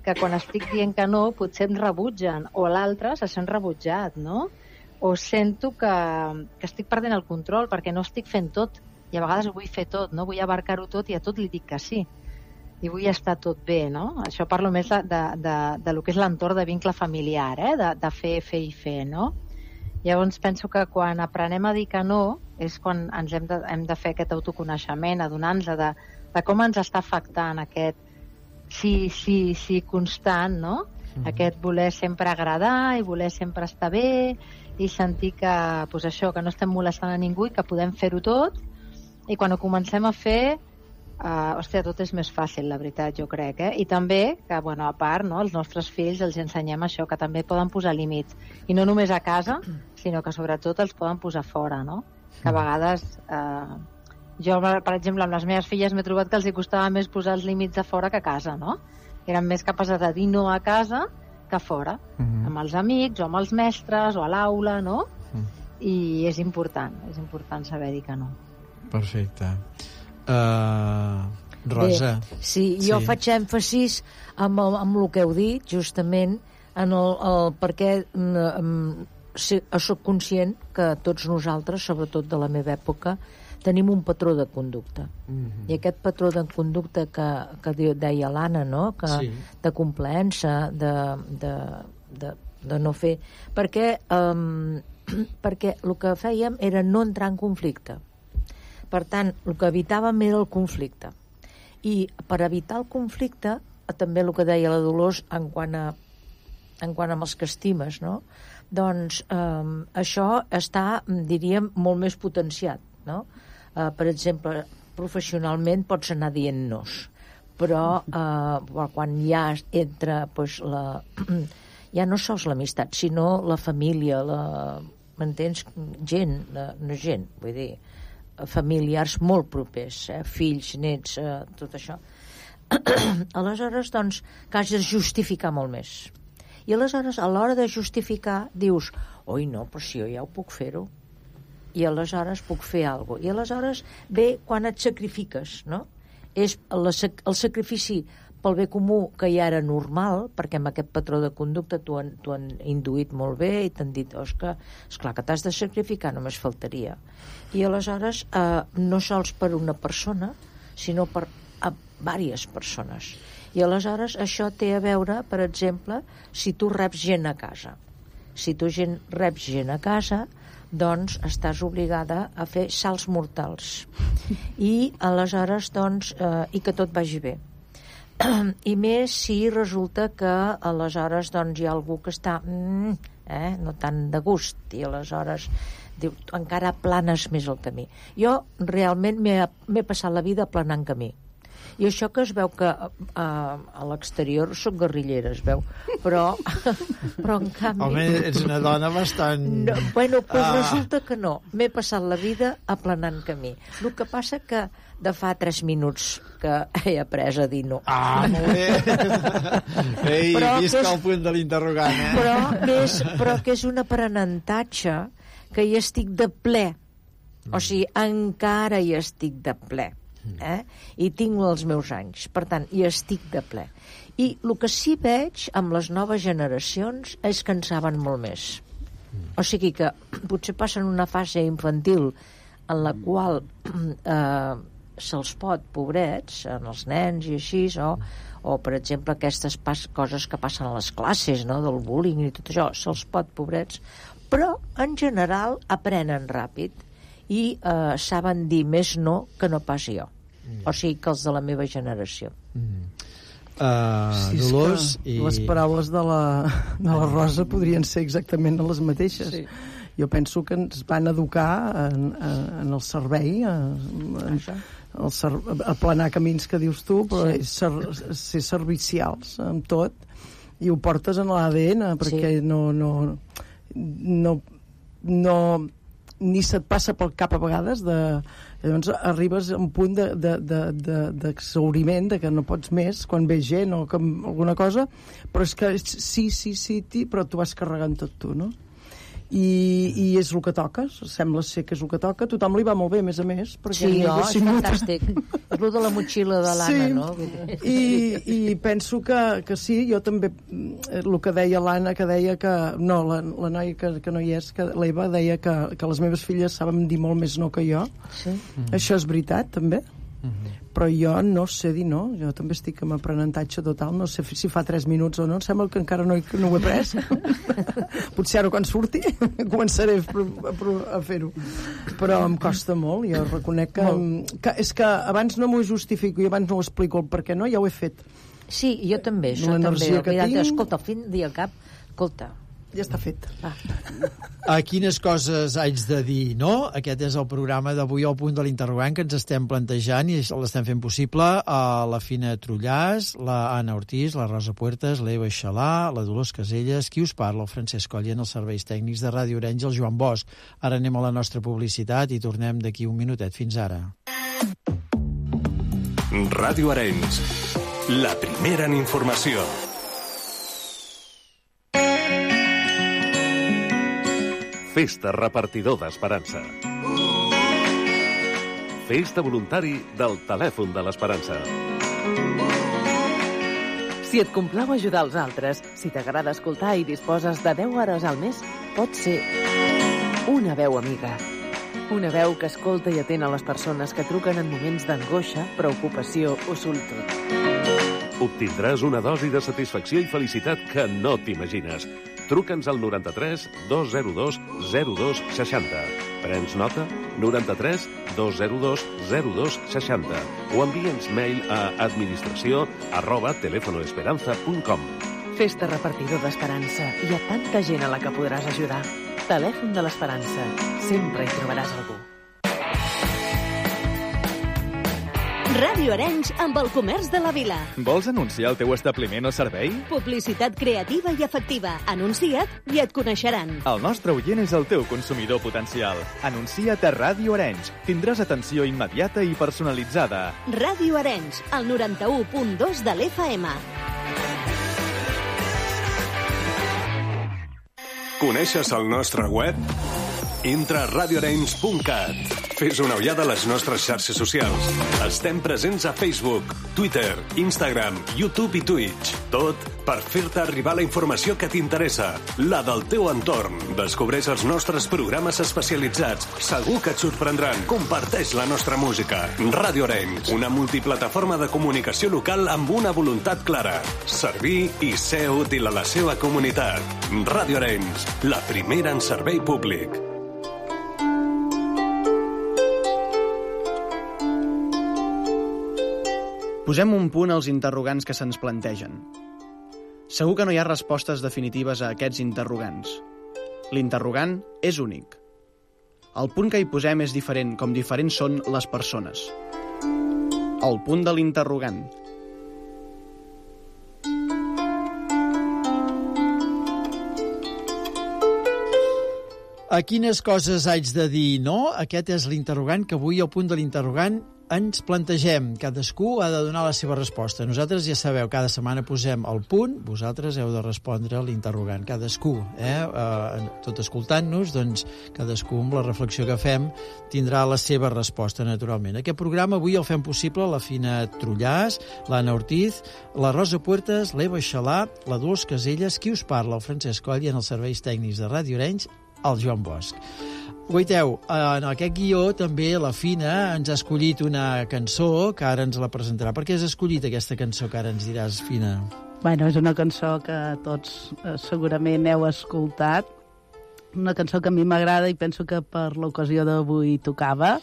que quan estic dient que no potser em rebutgen, o l'altre se sent rebutjat, no? O sento que, que estic perdent el control perquè no estic fent tot, i a vegades ho vull fer tot, no? Vull abarcar-ho tot i a tot li dic que sí. I vull estar tot bé, no? Això parlo més de, de, de, de lo que és l'entorn de vincle familiar, eh? de, de fer, fer i fer, no? Llavors penso que quan aprenem a dir que no és quan ens hem de, hem de fer aquest autoconeixement, adonar-nos de, de com ens està afectant aquest sí, sí, sí constant, no? Mm-hmm. Aquest voler sempre agradar i voler sempre estar bé i sentir que, pues això, que no estem molestant a ningú i que podem fer-ho tot, i quan ho comencem a fer Uh, hòstia, tot és més fàcil, la veritat, jo crec, eh? I també, que, bueno, a part, no, els nostres fills els ensenyem això, que també poden posar límits, i no només a casa, sinó que sobretot els poden posar fora, no? Que a vegades, uh, jo, per exemple, amb les meves filles m'he trobat que els hi costava més posar els límits a fora que a casa, no? Eren més capaces de dir no a casa que a fora, mm-hmm. amb els amics, o amb els mestres, o a l'aula, no? Mm. I és important, és important saber dir que no. Perfecte. Uh, Rosa. Bé, sí, jo sí. faig èmfasis amb, el, amb el que heu dit, justament, en el, el perquè um, soc conscient que tots nosaltres, sobretot de la meva època, tenim un patró de conducta. Mm-hmm. I aquest patró de conducta que, que deia l'Anna, no? Que, sí. De complaença, de, de, de, de no fer... Perquè, um, perquè el que fèiem era no entrar en conflicte. Per tant, el que evitàvem era el conflicte. I per evitar el conflicte, també el que deia la Dolors en quant a, en quant a els que estimes, no? Doncs eh, això està, diríem, molt més potenciat, no? Eh, per exemple, professionalment pots anar dient nos, però eh, quan ja entra pues, la, ja no sols l'amistat, sinó la família, la, m'entens? Gent, la, no gent, vull dir, familiars molt propers, eh? Fills, nets, eh, tot això. Aleshores, doncs, que has de justificar molt més. I aleshores, a l'hora de justificar, dius, oi, no, però si jo ja ho puc fer-ho. I aleshores puc fer alguna cosa. I aleshores ve quan et sacrifiques, no? És el, el sacrifici pel bé comú que ja era normal, perquè amb aquest patró de conducta t'ho han, t'ho han induït molt bé i t'han dit, oh, és que, esclar, que t'has de sacrificar, només faltaria. I aleshores, eh, no sols per una persona, sinó per a diverses persones. I aleshores això té a veure, per exemple, si tu reps gent a casa. Si tu gent, reps gent a casa, doncs estàs obligada a fer salts mortals i aleshores doncs eh, i que tot vagi bé, i més si resulta que aleshores doncs hi ha algú que està mm, eh, no tan de gust, i aleshores diu, encara planes més el camí. Jo realment m'he passat la vida planant camí. I això que es veu que a, a, a l'exterior soc guerrillera, es veu, però, però en canvi... Home, ets una dona bastant... No, bueno, però ah. resulta que no. M'he passat la vida aplanant camí. El que passa que de fa tres minuts que he après a dir no. Ah, molt bé! Ei, però visca és, el punt de l'interrogant, eh? Però, més, però que és un aprenentatge que hi estic de ple. O sigui, encara hi estic de ple. Eh? I tinc els meus anys, per tant hi estic de ple, i el que sí veig amb les noves generacions és que en saben molt més, o sigui que potser passen una fase infantil en la qual eh, se'ls pot, pobrets, en els nens i així, o, o per exemple aquestes pas, coses que passen a les classes, no? Del bullying i tot això, se'ls pot, pobrets, però en general aprenen ràpid i eh, saben dir més no que no pas jo. O sigui que els de la meva generació. Mm. Uh, sí, Dolors i... Les paraules de la, de la Rosa podrien ser exactament les mateixes. Sí. Jo penso que ens van educar en, en el servei, en, el ser, a planar camins que dius tu, però sí. ser, ser servicials amb tot, i ho portes en l'A D N, perquè sí. no, no, no, no ni se't passa pel cap a vegades de... Llavors arribes a un punt d'exhauriment, de, de, de, de que no pots més quan ve gent o com alguna cosa, però és que sí, sí, sí, sí, però tu vas carregant tot tu, no? I, i és el que toca, sembla ser que és el que toca, tothom li va molt bé, a més a més, perquè sí, no, és fantàstic, és el de la motxilla de l'Anna, sí, no? I, i penso que, que sí, jo també, el que deia l'Anna, que deia que, no, la, la noia que, que no hi és, que l'Eva deia que, que les meves filles saben dir molt més no que jo, sí. Mm-hmm. Això és veritat, també. Mm-hmm. Però jo no sé dir no, jo també estic en aprenentatge total, no sé si fa tres minuts o no, em sembla que encara no, no ho he pres. Potser ara quan surti començaré a, a fer-ho, però em costa molt, jo reconec que, que és que abans no m'ho justifico i abans no ho explico el per què no, ja ho he fet. Sí, jo també, això també, que tinc... escolta, al fin dia al cap, escolta, ja està fet. Ah. A quines coses haig de dir no? Aquest és el programa d'avui al punt de l'interrogant que ens estem plantejant i l'estem fent possible a la Fina Trullàs, la Anna Ortiz, la Rosa Puertas, l'Eva Xalà, la Dolors Caselles, qui us parla, el Francesc Colla, en els serveis tècnics de Ràdio Arenys, el Joan Bosch. Ara anem a la nostra publicitat i tornem d'aquí un minutet. Fins ara. Ràdio Arenys, la primera en informació. Festa repartidor d'Esperança. Festa voluntari del telèfon de l'Esperança. Si et complau ajudar els altres, si t'agrada escoltar i disposes de deu hores al mes, pot ser una veu amiga. Una veu que escolta i atén a les persones que truquen en moments d'angoixa, preocupació o solitud. Obtindràs una dosi de satisfacció i felicitat que no t'imagines. Truca'ns al noranta-tres dos zero dos zero dos seixanta. Prens nota? noranta-tres dos zero dos zero dos seixanta. O envia'ns mail a administració arroba telefonoesperanza punt com. Festa repartidor d'Esperança. Hi ha tanta gent a la que podràs ajudar. Telèfon de l'Esperança. Sempre hi trobaràs algú. Ràdio Arenys amb el comerç de la vila. Vols anunciar el teu establiment o servei? Publicitat creativa i efectiva. Anuncia't i et coneixeran. El nostre oient és el teu consumidor potencial. Anuncia't a Ràdio Arenys. Tindràs atenció immediata i personalitzada. Ràdio Arenys, el noranta-u punt dos de l'F M. Coneixes el nostre web? Entra a radio arenys punt cat. Fes una ullada a les nostres xarxes socials. Estem presents a Facebook, Twitter, Instagram, YouTube i Twitch. Tot per fer-te arribar la informació que t'interessa, la del teu entorn. Descobreix els nostres programes especialitzats. Segur que et sorprendran. Comparteix la nostra música. Ràdio Arenys, una multiplataforma de comunicació local amb una voluntat clara. Servir i ser útil a la seva comunitat. Ràdio Arenys, la primera en servei públic. Posem un punt als interrogants que se'ns plantegen. Segur que no hi ha respostes definitives a aquests interrogants. L'interrogant és únic. El punt que hi posem és diferent, com diferents són les persones. El punt de l'interrogant. A quines coses haig de dir no? Aquest és l'interrogant que avui, al punt de l'interrogant, ens plantegem. Cadascú ha de donar la seva resposta. Nosaltres ja sabeu, cada setmana posem el punt, vosaltres heu de respondre l'interrogant. Cadascú, eh? eh tot escoltant-nos, doncs cadascú amb la reflexió que fem tindrà la seva resposta, naturalment. Aquest programa avui el fem possible la Fina Trullàs, l'Anna Ortiz, la Rosa Puertas, l'Eva Xalà, la Dolors Caselles, qui us parla, el Francesc Coll, i en els serveis tècnics de Ràdio Arenys, el Joan Bosch. Guaiteu, en aquest guió també la Fina ens ha escollit una cançó que ara ens la presentarà. Per què has escollit aquesta cançó que ara ens diràs, Fina? Bueno, és una cançó que tots eh, segurament heu escoltat, una cançó que a mi m'agrada i penso que per l'ocasió d'avui tocava,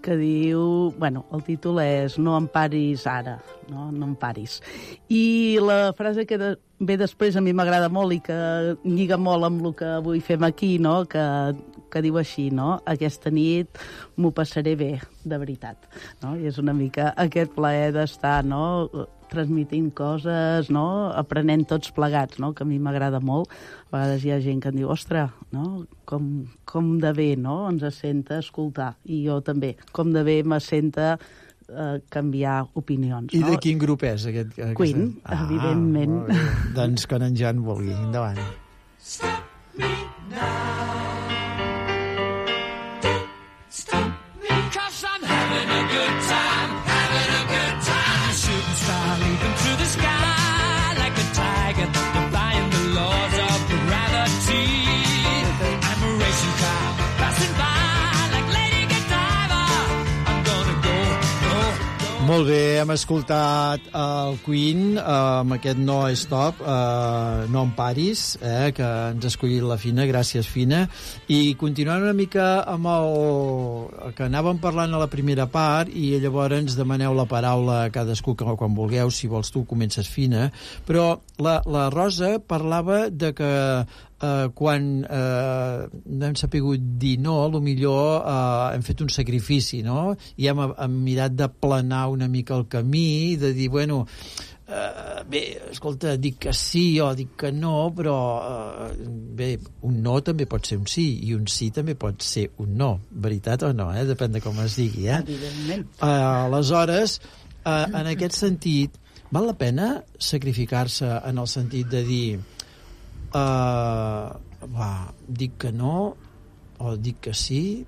que diu... Bueno, el títol és No em paris ara, no, no em paris. I la frase que de, ve després a mi m'agrada molt i que lliga molt amb el que avui fem aquí, no? que, que diu així, no? Aquesta nit m'ho passaré bé, de veritat. No? I és una mica aquest plaer d'estar, no? transmitint coses, no? aprenent tots plegats, no? que a mi m'agrada molt. A vegades hi ha gent que em diu, ostres, no? com, com de bé no? ens senta escoltar. I jo també, com de bé me senta eh, canviar opinions. I no? de quin grup és aquest? aquesta... Queen, ah, evidentment. Doncs quan en Jan vulgui. Endavant. Stop me now. Stop me, 'cause I'm having a good time, having a good time. Shooting star leaping through the sky like a tiger, defying the laws of gravity. I'm a racing car passing by like Lady Godiva. I'm gonna go, go, go. Molt bé, hem escoltat el Queen eh, amb aquest No Stop, eh, No em paris, eh, que ens ha escollit la Fina, gràcies Fina. I continuant una mica amb el que anàvem parlant a la primera part, i llavors demaneu la paraula a cadascú quan vulgueu, si vols tu comences Fina, però la, la Rosa parlava de que eh, quan eh, no hem sapigut dir no, potser eh, hem fet un sacrifici, no? I hem, hem mirat de planar una mica el camí, de dir, bueno, eh, bé, escolta, dic que sí o dic que no, però eh, bé, un no també pot ser un sí, i un sí també pot ser un no, veritat o no, eh? Depèn de com es digui, eh? Evidentment. Eh, aleshores, eh, en aquest sentit, val la pena sacrificar-se en el sentit de dir Uh, va, dic que no o dic que sí,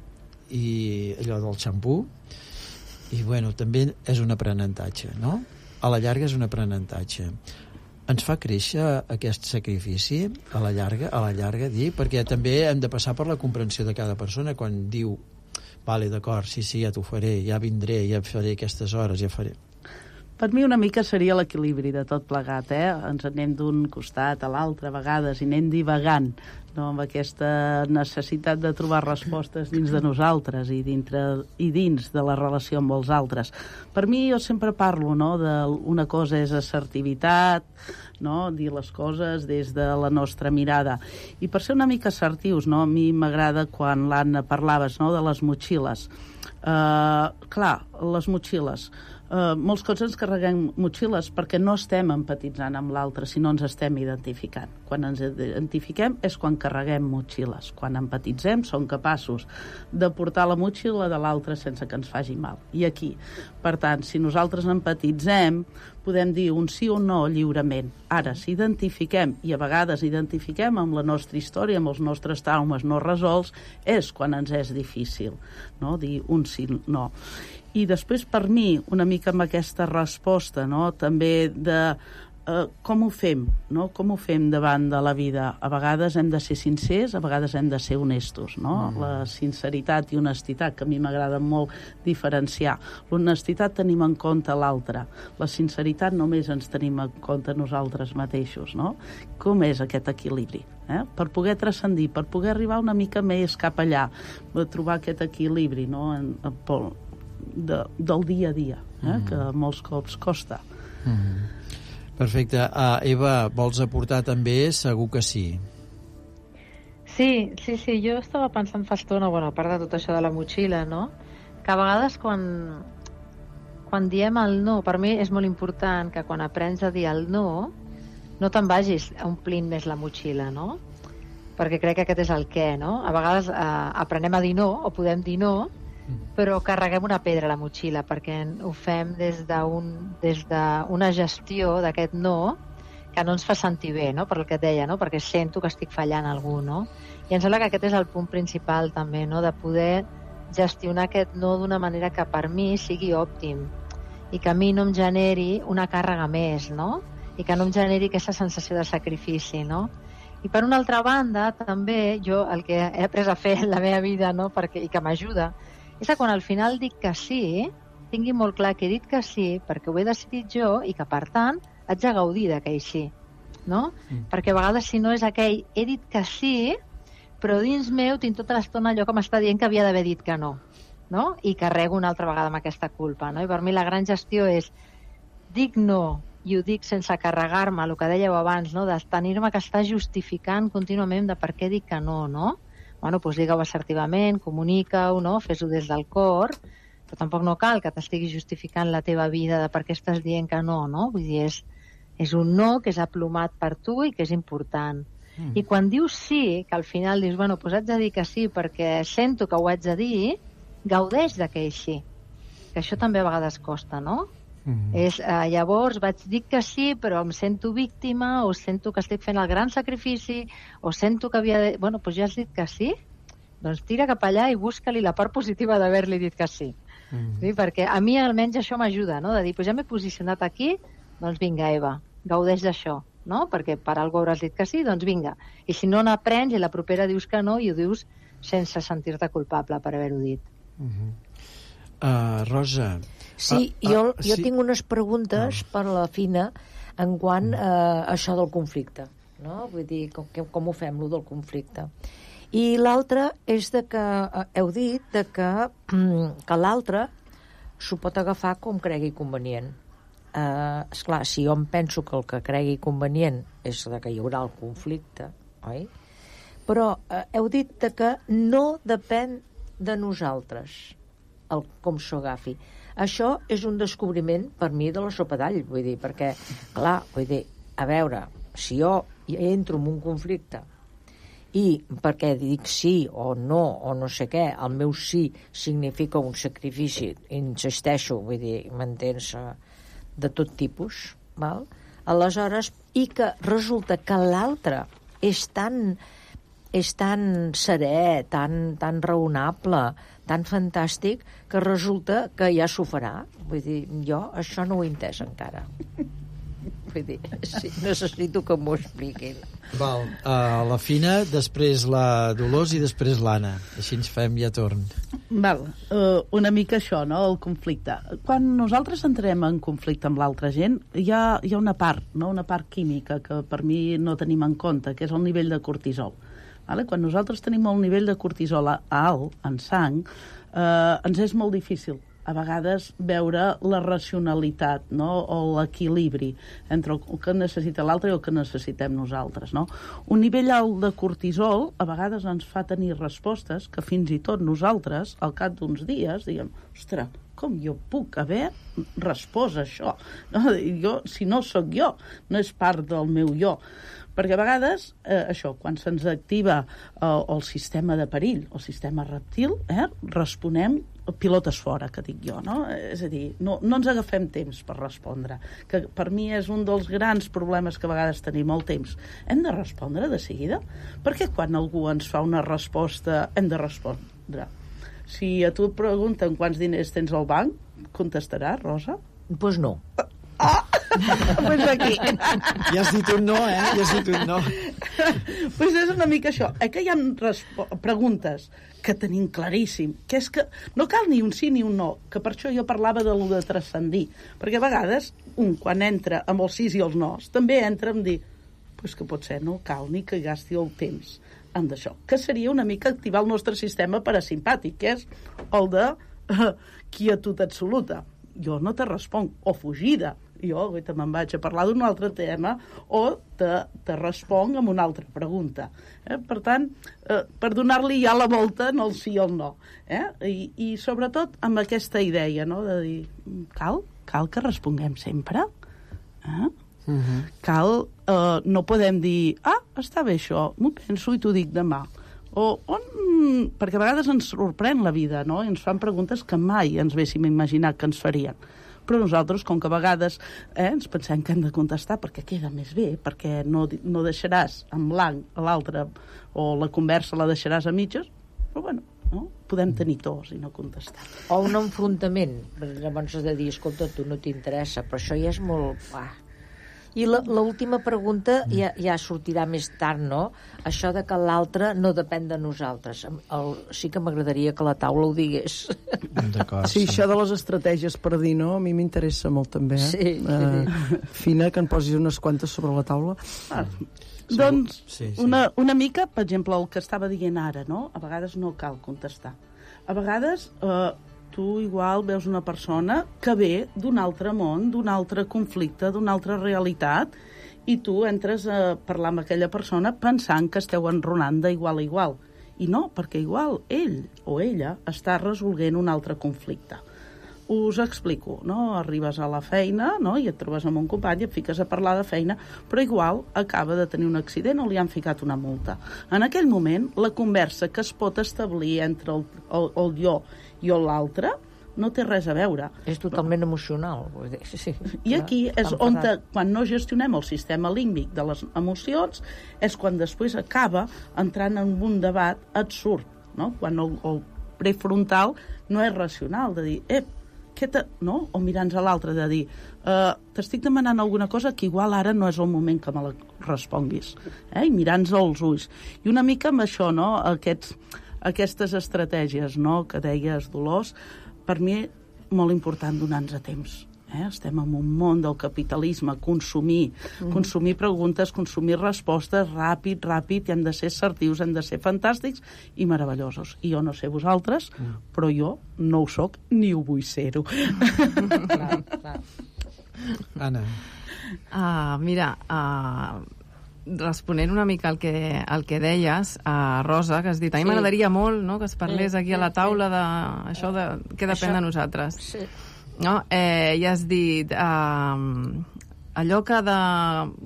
i allò del xampú, i bueno, també és un aprenentatge, no? A la llarga és un aprenentatge. Ens fa créixer aquest sacrifici a la llarga, a la llarga dir, perquè també hem de passar per la comprensió de cada persona quan diu, vale, d'acord, sí, sí, ja t'ho faré, ja vindré, ja faré aquestes hores, ja faré. Per mi una mica seria l'equilibri de tot plegat, eh? Ens anem d'un costat a l'altre a vegades i anem divagant, no? Amb aquesta necessitat de trobar respostes dins de nosaltres i, dintre, i dins de la relació amb els altres. Per mi jo sempre parlo, no? De una cosa és assertivitat, no? Dir les coses des de la nostra mirada. I per ser una mica assertius, no? A mi m'agrada quan l'Anna parlaves, no? De les motxilles. Uh, clar, les motxilles. Uh, molts cops ens carreguem motxilles perquè no estem empatitzant amb l'altre, sinó ens estem identificant. Quan ens identifiquem és quan carreguem motxilles. Quan empatitzem som capaços de portar la motxilla de l'altre sense que ens faci mal. I aquí, per tant, si nosaltres empatitzem, podem dir un sí o un no lliurement. Ara, si identifiquem, i a vegades identifiquem amb la nostra història, amb els nostres traumes no resolts, és quan ens és difícil, no? Dir un sí o no. I després, per mi, una mica amb aquesta resposta, no? També de eh, com ho fem, no? Com ho fem davant de la vida. A vegades hem de ser sincers, a vegades hem de ser honestos, no? Mm. La sinceritat i honestitat, que a mi m'agrada molt diferenciar. L'honestitat tenim en compte l'altre. La sinceritat només ens tenim en compte nosaltres mateixos, no? Com és aquest equilibri? Eh? Per poder transcendir, per poder arribar una mica més cap allà, trobar aquest equilibri, no? En, en, De, del dia a dia, eh? Mm. Que molts cops costa. Mm. Perfecte. Uh, Eva, vols aportar també? Segur que sí. Sí, sí, sí. Jo estava pensant fa estona, bueno, a part de tot això de la motxilla, no? Que a vegades quan, quan diem el no, per mi és molt important que quan aprens a dir el no, no te'n vagis omplint més la motxilla, no? Perquè crec que aquest és el què, no? A vegades eh, aprenem a dir no, o podem dir no, però carreguem una pedra a la motxilla perquè ho fem des d'un des d'una gestió d'aquest no que no ens fa sentir bé, no? Per el que et deia, no? Perquè sento que estic fallant a algú, no? I em sembla que aquest és el punt principal també, no? De poder gestionar aquest no d'una manera que per mi sigui òptim i que a mi no em generi una càrrega més, no? I que no em generi aquesta sensació de sacrifici, no? I per una altra banda, també, jo el que he après a fer en la meva vida, no? Perquè, i que m'ajuda, és que quan al final dic que sí, tingui molt clar que he dit que sí perquè ho he decidit jo i que, per tant, haig de gaudir d'aquell sí, no? Mm. Perquè a vegades, si no és aquell he dit que sí, però dins meu tinc tota l'estona allò que m'està dient que havia d'haver dit que no, no? I carrego una altra vegada amb aquesta culpa, no? I per mi la gran gestió és dic no i ho dic sense carregar-me, el que dèieu abans, no? De tenir-me que estar justificant contínuament de per què dic que no, no? Bueno, doncs digue-ho assertivament, comunica-ho, no? Fes-ho des del cor, però tampoc no cal que t'estiguis justificant la teva vida de per què estàs dient que no, no? Vull dir, és, és un no que és aplomat per tu i que és important. Mm. I quan dius sí, que al final dius, bueno, doncs haig de dir que sí perquè sento que ho haig de dir, gaudeix d'aquell sí. Que això també a vegades costa, no? Mm. És, eh, llavors vaig dir que sí, però em sento víctima, o sento que estic fent el gran sacrifici, o sento que havia de... Bueno, doncs ja has dit que sí, doncs tira cap allà i busca-li la part positiva d'haver-li dit que sí. Mm. Sí. Perquè a mi almenys això m'ajuda, no? De dir, doncs ja m'he posicionat aquí, doncs vinga, Eva, gaudeix d'això, no? Perquè per algú hauràs dit que sí, doncs vinga. I si no n'aprens i la propera dius que no, i ho dius sense sentir-te culpable per haver-ho dit. Mm-hmm. uh, Rosa... Sí, ah, jo, ah, jo sí. tinc unes preguntes ah. per la Fina en quant a eh, això del conflicte, no? Vull dir, com, com ho fem, lo del conflicte. I l'altre és de que, eh, heu dit de que, que l'altre s'ho pot agafar com cregui convenient. Eh, esclar, si jo em penso que el que cregui convenient és de que hi haurà el conflicte, oi? Però eh, heu dit de que no depèn de nosaltres el com s'ho agafi. Això és un descobriment per mi de la sopa d'all, vull dir, perquè, clar, vull dir, a veure, si jo entro en un conflicte i perquè dic sí o no o no sé què, el meu sí significa un sacrifici, insisteixo, vull dir, m'entens, de tot tipus, val? Aleshores, i que resulta que l'altre és tan és tan serè, tan, tan raonable, tan fantàstic, que resulta que ja s'ho farà. Vull dir, jo això no ho he entès encara. Vull dir, sí, necessito que m'ho expliquin. Val, uh, la Fina, després la Dolors i després l'Anna. Així ens fem ja torn. Val, uh, una mica això, no?, el conflicte. Quan nosaltres entrem en conflicte amb l'altra gent, hi ha, hi ha una part, no?, una part química que per mi no tenim en compte, que és el nivell de cortisol. Vale? Quan nosaltres tenim el nivell de cortisol alt en sang, eh, ens és molt difícil a vegades veure la racionalitat, no?, o l'equilibri entre el que necessita l'altre i el que necessitem nosaltres, no? Un nivell alt de cortisol a vegades ens fa tenir respostes que fins i tot nosaltres, al cap d'uns dies, diguem, ostres, com jo puc haver respost a això? No, jo, si no sóc jo, no és part del meu jo. Perquè a vegades, eh, això, quan se'ns activa eh, el sistema de perill, el sistema reptil, eh, responem pilotes fora, que dic jo, no? És a dir, no, no ens agafem temps per respondre, que per mi és un dels grans problemes que a vegades tenim, el temps. Hem de respondre de seguida? Perquè quan algú ens fa una resposta, hem de respondre. Si a tu et pregunten quants diners tens al banc, contestaràs, Rosa? Doncs pues no. Ah! Pues aquí. Ja has dit un no, eh? Ja has dit un no. Pues és una mica això. Eh, que hi ha preguntes que tenim claríssim, que és que no cal ni un sí ni un no, que per això jo parlava de lo de transcendir, perquè a vegades un, quan entra amb els sís i els nos, també entra en dir, pues que potser no cal ni que gasti el temps en d'això, que seria una mica activar el nostre sistema parasimpàtic, que és el de uh, quietud absoluta. Jo no te responc, o fugida, jo te me'n vaig a parlar d'un altre tema, o te, te responc amb una altra pregunta. Eh? Per tant, eh, per donar-li ja la volta en el sí o el no. Eh? I, I sobretot amb aquesta idea, no?, de dir, cal, cal que responguem sempre? Eh? Uh-huh. Cal, eh, no podem dir, ah, està bé això, m'ho penso i t'ho dic demà. O, on... perquè a vegades ens sorprèn la vida, no? I ens fan preguntes que mai ens haguéssim imaginat que ens farien. Però nosaltres, com que a vegades eh, ens pensem que hem de contestar perquè queda més bé, perquè no, no deixaràs en blanc a l'altre, o la conversa la deixaràs a mitges, però bueno, no? Podem tenir tos i no contestar. O un enfrontament. Llavors has de dir, escolta, tu no t'interessa, però això ja és molt... Ah. I l'última pregunta ja, ja sortirà més tard, no? Això de que l'altre no depèn de nosaltres. El, sí que m'agradaria que la taula ho digués. D'acord. Sí, això de les estratègies per dir no, a mi m'interessa molt també. Eh? Sí, sí. Uh, Fina, que en posis unes quantes sobre la taula. Ah, doncs, sí, sí. Una, una mica, per exemple, el que estava dient ara, no? A vegades no cal contestar. A vegades... Eh, tu igual veus una persona que ve d'un altre món, d'un altre conflicte, d'una altra realitat, i tu entres a parlar amb aquella persona pensant que esteu enronant d'igual a igual. I no, perquè igual ell o ella està resolent un altre conflicte. Us explico, no? Arribes a la feina, no? I et trobes amb un company, et fiques a parlar de feina, però igual acaba de tenir un accident o li han ficat una multa. En aquell moment, la conversa que es pot establir entre el, el, el jo i l'altre no té res a veure. És totalment emocional. Sí, I aquí és on, te, quan no gestionem el sistema límbic de les emocions, és quan després acaba entrant en un debat absurd, no? Quan el, el prefrontal no és racional, de dir, ep, què te... no? O mirant-nos a l'altre, de dir, uh, t'estic demanant alguna cosa que igual ara no és el moment que me la responguis. Eh? I mirant-nos als ulls. I una mica amb això, no? Aquests... aquestes estratègies, no?, que deies, Dolors, per mi molt important donar-nos a temps. Eh? Estem en un món del capitalisme, consumir, mm. consumir preguntes, consumir respostes, ràpid, ràpid, i hem de ser assertius, hem de ser fantàstics i meravellosos. I jo no sé vosaltres, mm. però jo no ho soc ni ho vull ser-ho. Clar, clar. Anna. Uh, mira, uh, responent una mica al que, al que deies, a Rosa, que has dit, a mi sí. m'agradaria molt, no?, que es parlés sí, aquí a la taula de això de què depèn això... de nosaltres. Sí. No? Eh, ja has dit eh, allò que de...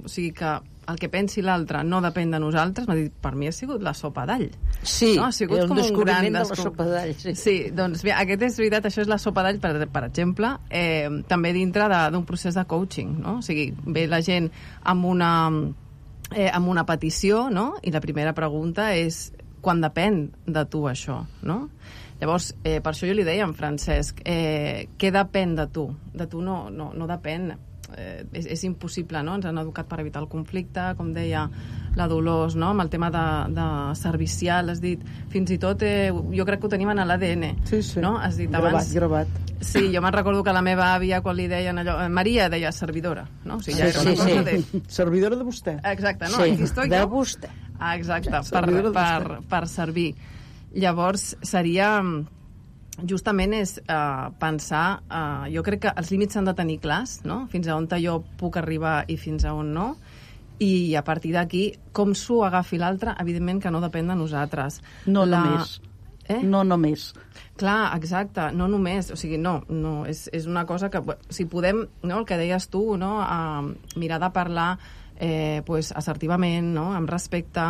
O sigui, que el que pensi l'altre no depèn de nosaltres, m'ha dit, per mi ha sigut la sopa d'all. Sí, no? Ha sigut un com descobriment un gran de la sopa d'all. Sí. sí, doncs bé, aquest és veritat, això és la sopa d'all, per, per exemple, eh, també dintre d'un procés de coaching, no? O sigui, ve la gent amb una... Eh, amb una petició, no? I la primera pregunta és quan depèn de tu això, no? Llavors, eh, per això jo li deia a en Francesc, eh, què depèn de tu? De tu no, no, no depèn. Eh, és, és impossible, no? Ens han educat per evitar el conflicte, com deia la Dolors, no? Amb el tema de, de servicial, has dit, fins i tot eh, jo crec que ho tenim en l'A D N. Sí, sí. No? Has dit gravat, abans... gravat. Sí, jo me'n recordo que la meva àvia, quan li deien allò... Maria deia servidora, no? O sigui, ja sí, era una sí, cosa sí. De... Servidora de vostè. Exacte, no? Sí, Aquí estoy de jo. vostè. Ah, exacte, per, per, per servir. Llavors, seria... Justament és uh, pensar... Uh, jo crec que els límits s'han de tenir clars, no? Fins a on jo puc arribar i fins a on no. I a partir d'aquí, com s'ho agafi l'altre, evidentment que no depèn de nosaltres. No la... només. Eh? No només. Clar, exacte, no només, o sigui, no, no és, és una cosa que, si podem, no, el que deies tu, no, a mirar de parlar eh, pues, assertivament, no, amb respecte,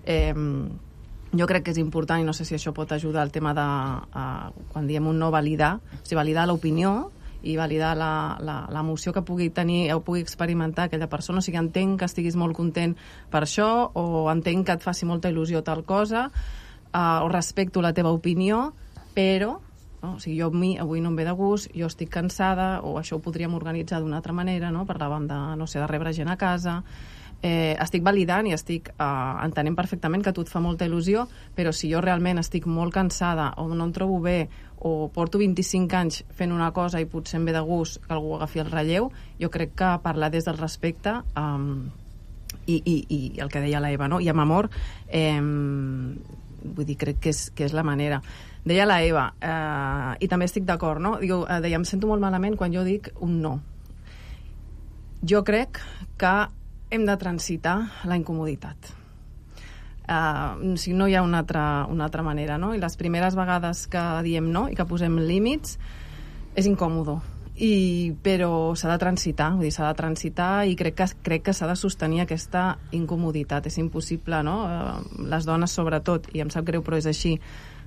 eh, jo crec que és important, i no sé si això pot ajudar al tema de, uh, quan diem un no, validar, o sigui, validar l'opinió i validar l'emoció que pugui tenir o pugui experimentar aquella persona. O sigui, entenc que estiguis molt content per això, o entenc que et faci molta il·lusió tal cosa, uh, o respecto la teva opinió, però no? O sigui, jo a mi avui no em ve de gust, jo estic cansada, o això ho podríem organitzar d'una altra manera, no? Parlàvem de, no sé, de rebre gent a casa. Eh, estic validant i estic eh, entenent perfectament que a tu et fa molta il·lusió, però si jo realment estic molt cansada o no em trobo bé o porto vint-i-cinc anys fent una cosa i potser em ve de gust que algú agafi el relleu, jo crec que parlar des del respecte um, i, i, i el que deia la Eva, no? I amb amor, eh, vull dir, crec que és, que és la manera. Deia la Eva, eh, i també estic d'acord, no? Diu, eh, deia, em sento molt malament quan jo dic un no. Jo crec que hem de transitar la incomoditat. Uh, o sigui, no hi ha una altra, una altra manera, no? I les primeres vegades que diem no i que posem límits és incòmodo. I, però s'ha de transitar, vull dir, s'ha de transitar i crec que, crec que s'ha de sostenir aquesta incomoditat. És impossible, no? Uh, les dones, sobretot, i em sap greu, però és així,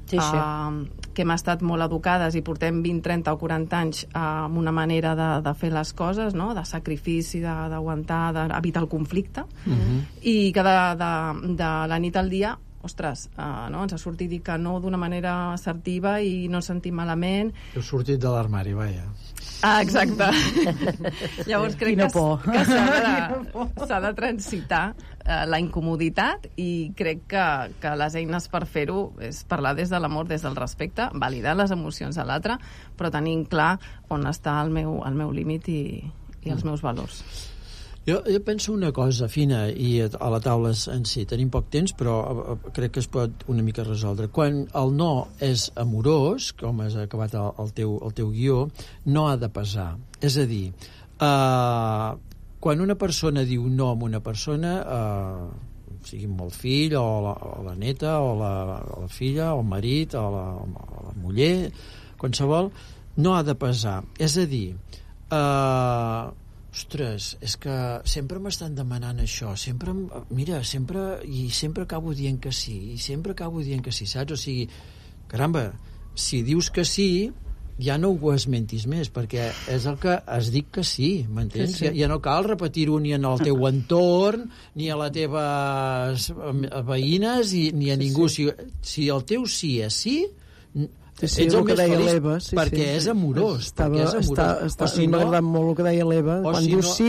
sí, sí. Uh, que hem estat molt educades i portem vint, trenta o quaranta anys uh, amb una manera de, de fer les coses, no? De sacrifici, d'aguantar, d'evitar el conflicte, uh-huh. I que de, de, de la nit al dia, ostres, uh, no? Ens ha sortit dir que no d'una manera assertiva i no ens sentim malament. Heu sortit de l'armari, vaja. Ah, exacte. Llavors crec que, que s'ha de, s'ha de transitar uh, la incomoditat i crec que, que les eines per fer-ho és parlar des de l'amor, des del respecte, validar les emocions de l'altre, però tenint clar on està el meu, el meu límit i, i els meus valors. Jo, jo penso una cosa fina, i a la taula en si tenim poc temps, però crec que es pot una mica resoldre. Quan el no és amorós, com has acabat el, el, teu, el teu guió, no ha de pesar. És a dir, eh, quan una persona diu no a una persona, eh, sigui amb el fill, o la, o la neta, o la, o la filla, o el marit, o la, o la muller, qualsevol, no ha de pesar. És a dir, eh, ostres, és que sempre m'estan demanant això, sempre, mira, sempre, i sempre acabo dient que sí, i sempre acabo dient que sí, saps? O sigui, caramba, si dius que sí, ja no ho esmentis més, perquè és el que has dit que sí, m'entens? Sí, sí. Ja, ja no cal repetir-ho ni en el teu entorn, ni a les teves veïnes, i, ni a ningú. Sí, sí. Si, si el teu sí és sí, Sí, sí, ets el, el més feliç, sí, perquè sí. és amorós. Estava, perquè és amorós. Està, està, si no, m'ha agradat molt el que deia l'Eva. Quan si dius no, sí,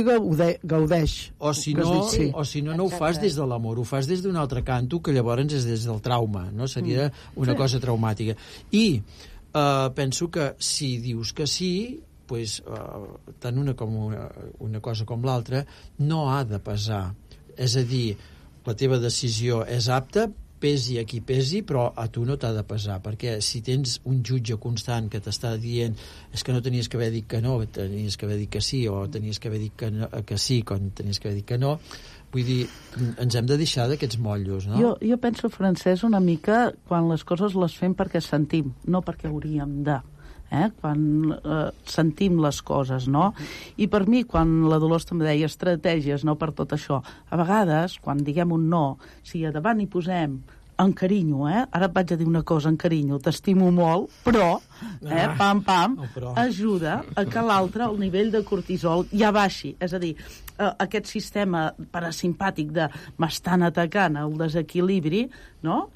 gaudeix. O si no, sí. o si no, no ho fas des de l'amor, ho fas des d'un altre canto, que llavors és des del trauma, no? Seria una sí. cosa traumàtica. I uh, penso que si dius que sí, pues, uh, tant una com una, una cosa com l'altra, no ha de pesar. És a dir, la teva decisió és apta, pesi a qui pesi, però a tu no t'ha de pesar, perquè si tens un jutge constant que t'està dient és que no tenies que haver dit que no, tenies que haver dit que sí, o tenies que haver dit que, no, que sí quan tenies que haver dit que no, vull dir, ens hem de deixar d'aquests motllos, no? Jo, jo penso, Francesc, una mica quan les coses les fem perquè sentim, no perquè hauríem de. Eh? Quan eh, sentim les coses, no? I per mi, quan la Dolors també deia estratègies, no, per tot això, a vegades, quan diguem un no, si a davant hi posem en carinyo, eh? Ara et vaig a dir una cosa, en carinyo, t'estimo molt, però, eh, pam, pam, no, però... ajuda a que l'altre, el nivell de cortisol, ja baixi. És a dir, eh, aquest sistema parasimpàtic de m'estan atacant el desequilibri, no?,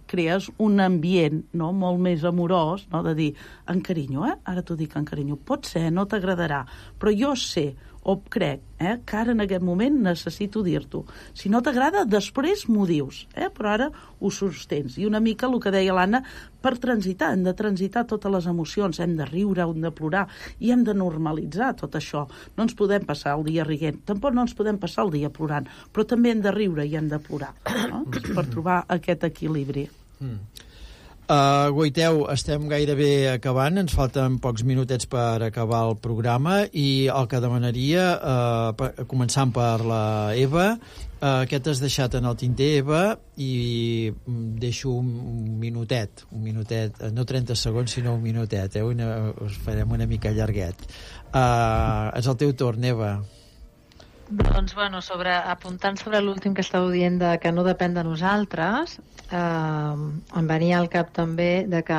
crees un ambient, no?, molt més amorós, no?, de dir, en carinyo, eh? Ara t'ho dic en carinyo, pot ser, no t'agradarà, però jo sé, o crec, eh, que ara en aquest moment necessito dir-t'ho. Si no t'agrada, després m'ho dius, eh? Però ara ho sostens. I una mica el que deia l'Anna, per transitar, hem de transitar totes les emocions, hem de riure, hem de plorar, i hem de normalitzar tot això. No ens podem passar el dia rient, tampoc no ens podem passar el dia plorant, però també hem de riure i hem de plorar, no?, per trobar aquest equilibri. Mm. Uh, Goiteu, estem gairebé acabant, ens falten pocs minutets per acabar el programa i el que demanaria, uh, per, començant per la Eva, uh, què t'has deixat en el tinter, Eva, i deixo un, un minutet, un minutet, no trenta segons, sinó un minutet, eh? Una, us farem una mica llarguet. Uh, és el teu torn, Eva. Doncs, bueno, sobre, apuntant sobre l'últim que estàveu dient de que no depèn de nosaltres, eh, em venia al cap també de que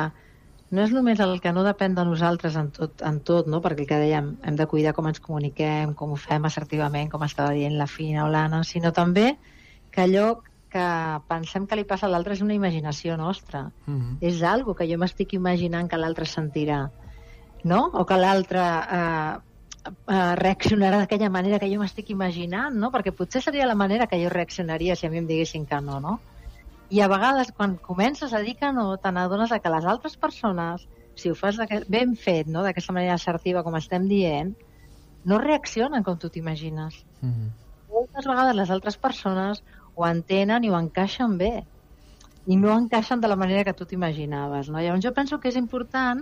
no és només el que no depèn de nosaltres en tot, en tot, no? Perquè el que dèiem, hem de cuidar com ens comuniquem, com ho fem assertivament, com estava dient la Fina o l'Anna, sinó també que allò que pensem que li passa a l'altre és una imaginació nostra. Mm-hmm. És algo que jo m'estic imaginant que l'altre sentirà, no? O que l'altre... Eh, Uh, reaccionarà d'aquella manera que jo m'estic imaginant, no? Perquè potser seria la manera que jo reaccionaria si a mi em diguessin que no, no? I a vegades quan comences a dir que no, te n'adones que les altres persones, si ho fas ben fet, no? D'aquesta manera assertiva com estem dient, no reaccionen com tu t'imagines. Mm-hmm. Moltes vegades les altres persones ho entenen i ho encaixen bé i no encaixen de la manera que tu t'imaginaves, no? Llavors jo penso que és important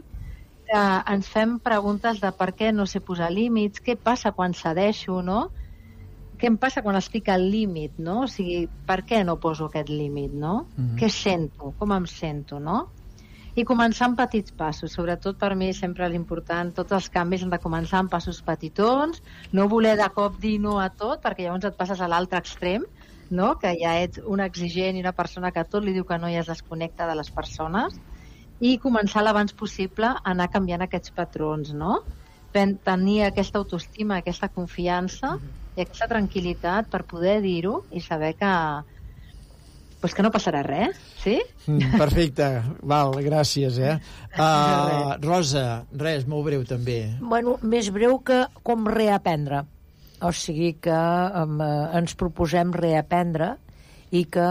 que ens fem preguntes de per què no sé posar límits, què passa quan cedeixo, no? Què em passa quan estic al límit, no? O sigui, per què no poso aquest límit, no? Mm-hmm. Què sento? Com em sento, no? I començar amb petits passos. Sobretot per mi sempre és important, tots els canvis han de començar amb passos petitons, no voler de cop dir no a tot, perquè llavors et passes a l'altre extrem, no? Que ja ets un exigent i una persona que tot li diu que no i es desconnecta de les persones, i començar l'abans possible a anar canviant aquests patrons, no? Tenir aquesta autoestima, aquesta confiança i aquesta tranquil·litat per poder dir-ho i saber que, pues que no passarà res, sí? Mm, perfecte, val, gràcies, eh? Uh, Rosa, res, molt breu també. Bueno, més breu que com reaprendre. O sigui que um, ens proposem reaprendre i que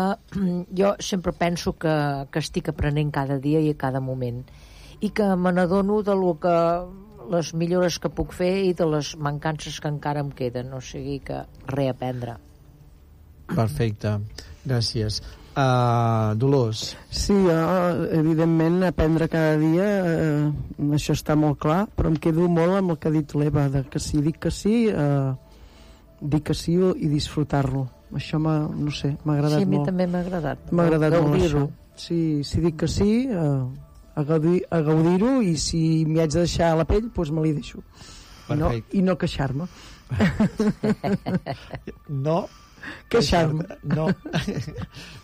jo sempre penso que, que estic aprenent cada dia i a cada moment i que me n'adono de lo que, les millores que puc fer i de les mancances que encara em queden, o sigui que reaprendre. Perfecte, gràcies. Uh, Dolors. Sí, jo, evidentment, aprendre cada dia, eh, això està molt clar, però em quedo molt amb el que ha dit l'Eva, de que si dic que sí, eh, dic que sí i disfrutar-lo. Això m'ha, no sé, m'ha agradat molt. Sí, a mi molt. També m'ha agradat. M'ha agradat molt això. Sí, si dic que sí, eh, a gaudir, a gaudir-ho, i si m'hi haig de deixar a la pell, doncs me l'hi deixo. I no, i no queixar-me. No queixar-me. No.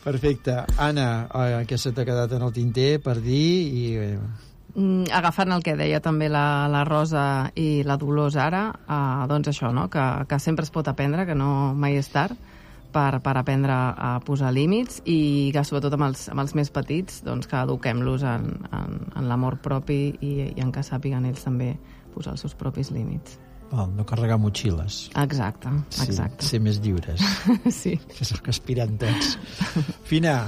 Perfecte. Anna, què se t'ha quedat en el tinter per dir? I... Mm, agafant el que deia també la, la Rosa i la Dolors ara, eh, doncs això, no? que, que sempre es pot aprendre, que no mai és tard per, per aprendre a posar límits i que sobretot amb els, amb els més petits doncs que eduquem-los en, en, en l'amor propi i, i en que sàpiguen ells també posar els seus propis límits. Val, no carregar motxilles. Exacte, exacte. Sí, ser més lliures. Sí. Que és el que aspiren tots. Fina,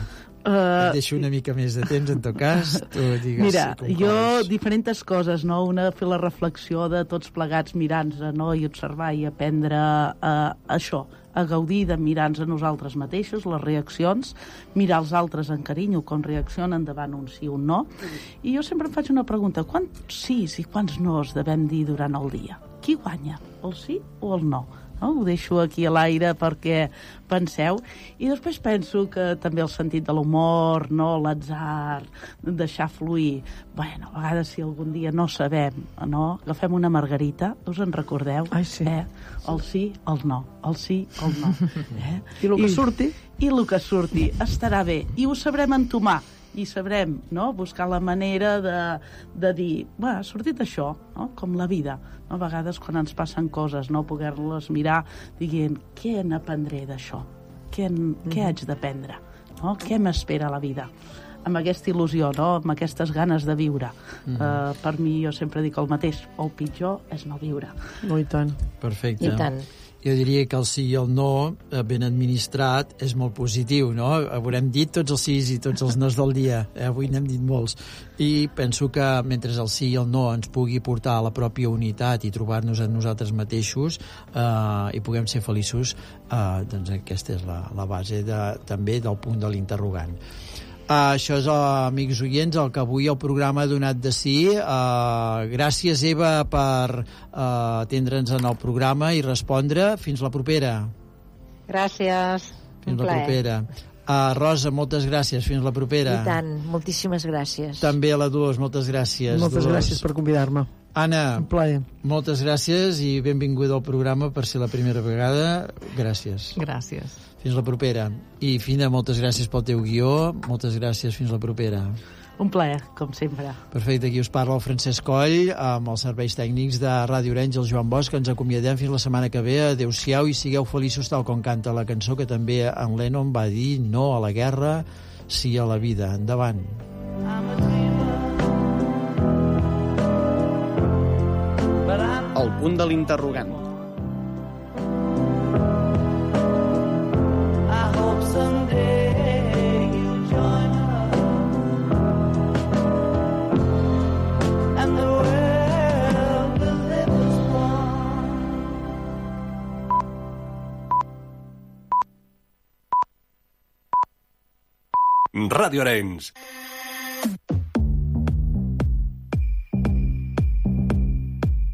Uh, et deixo una mica més de temps, en tot cas. Tu digues, mira, jo, diferents coses, no? Una, fer la reflexió de tots plegats mirant-nos, no? I observar i aprendre uh, això, a gaudir de mirar-nos a nosaltres mateixos, les reaccions, mirar els altres en carinyo, com reaccionen davant un sí o un no. I jo sempre em faig una pregunta, quants sís i quants nos devem dir durant el dia? Qui guanya, el sí o el no? No? Ho deixo aquí a l'aire perquè penseu. I després penso que també el sentit de l'humor, no? L'atzar, deixar fluir. Bueno, a vegades si algun dia no sabem, no? Agafem una margarita, us en recordeu? Ai, sí. Eh? El sí, el no. El sí, el no. Eh? I el que I, surti? I el que surti. Estarà bé. I ho sabrem entomar. I sabrem, no?, buscar la manera de, de dir, va, ha sortit això, no?, com la vida. No? A vegades quan ens passen coses, no?, poder-les mirar dient, què n'aprendré d'això? Què, mm-hmm. què haig d'aprendre? No? Què m'espera a la vida? Amb aquesta il·lusió, no?, amb aquestes ganes de viure. Mm. Uh, per mi, jo sempre dic el mateix, el pitjor és no viure. No, i tant. Perfecte. I tant. Jo diria que el sí i el no, ben administrat, és molt positiu, no? Haurem dit tots els sís i tots els nos del dia, eh? Avui n'hem dit molts. I penso que mentre el sí i el no ens pugui portar a la pròpia unitat i trobar-nos en nosaltres mateixos eh, i puguem ser feliços, eh, doncs aquesta és la, la base de, també del punt de l'interrogant. Uh, això és, uh, amics oients, el que avui el programa ha donat de si. Uh, gràcies, Eva, per uh, atendre'ns en el programa i respondre. Fins la propera. Gràcies. Fins Un la plaer. propera. Uh, Rosa, moltes gràcies. Fins la propera. I tant, moltíssimes gràcies. També a la Dolors, moltes gràcies. Moltes Dolors. gràcies per convidar-me. Anna, Un plaer. moltes gràcies i benvinguda al programa per ser la primera vegada. Gràcies. Gràcies. Fins la propera. I Fina, moltes gràcies pel teu guió. Moltes gràcies. Fins la propera. Un plaer, com sempre. Perfecte, aquí us parla el Francesc Coll amb els serveis tècnics de Ràdio Orenys, el Joan Bosch. Ens acomiadem fins la setmana que ve. Adéu-siau i sigueu feliços tal com canta la cançó que també en Lennon va dir no a la guerra, sí a la vida. Endavant. El punt de l'interrogant. I hope someday you'll join us and the world will live as one. Ràdio Arenys.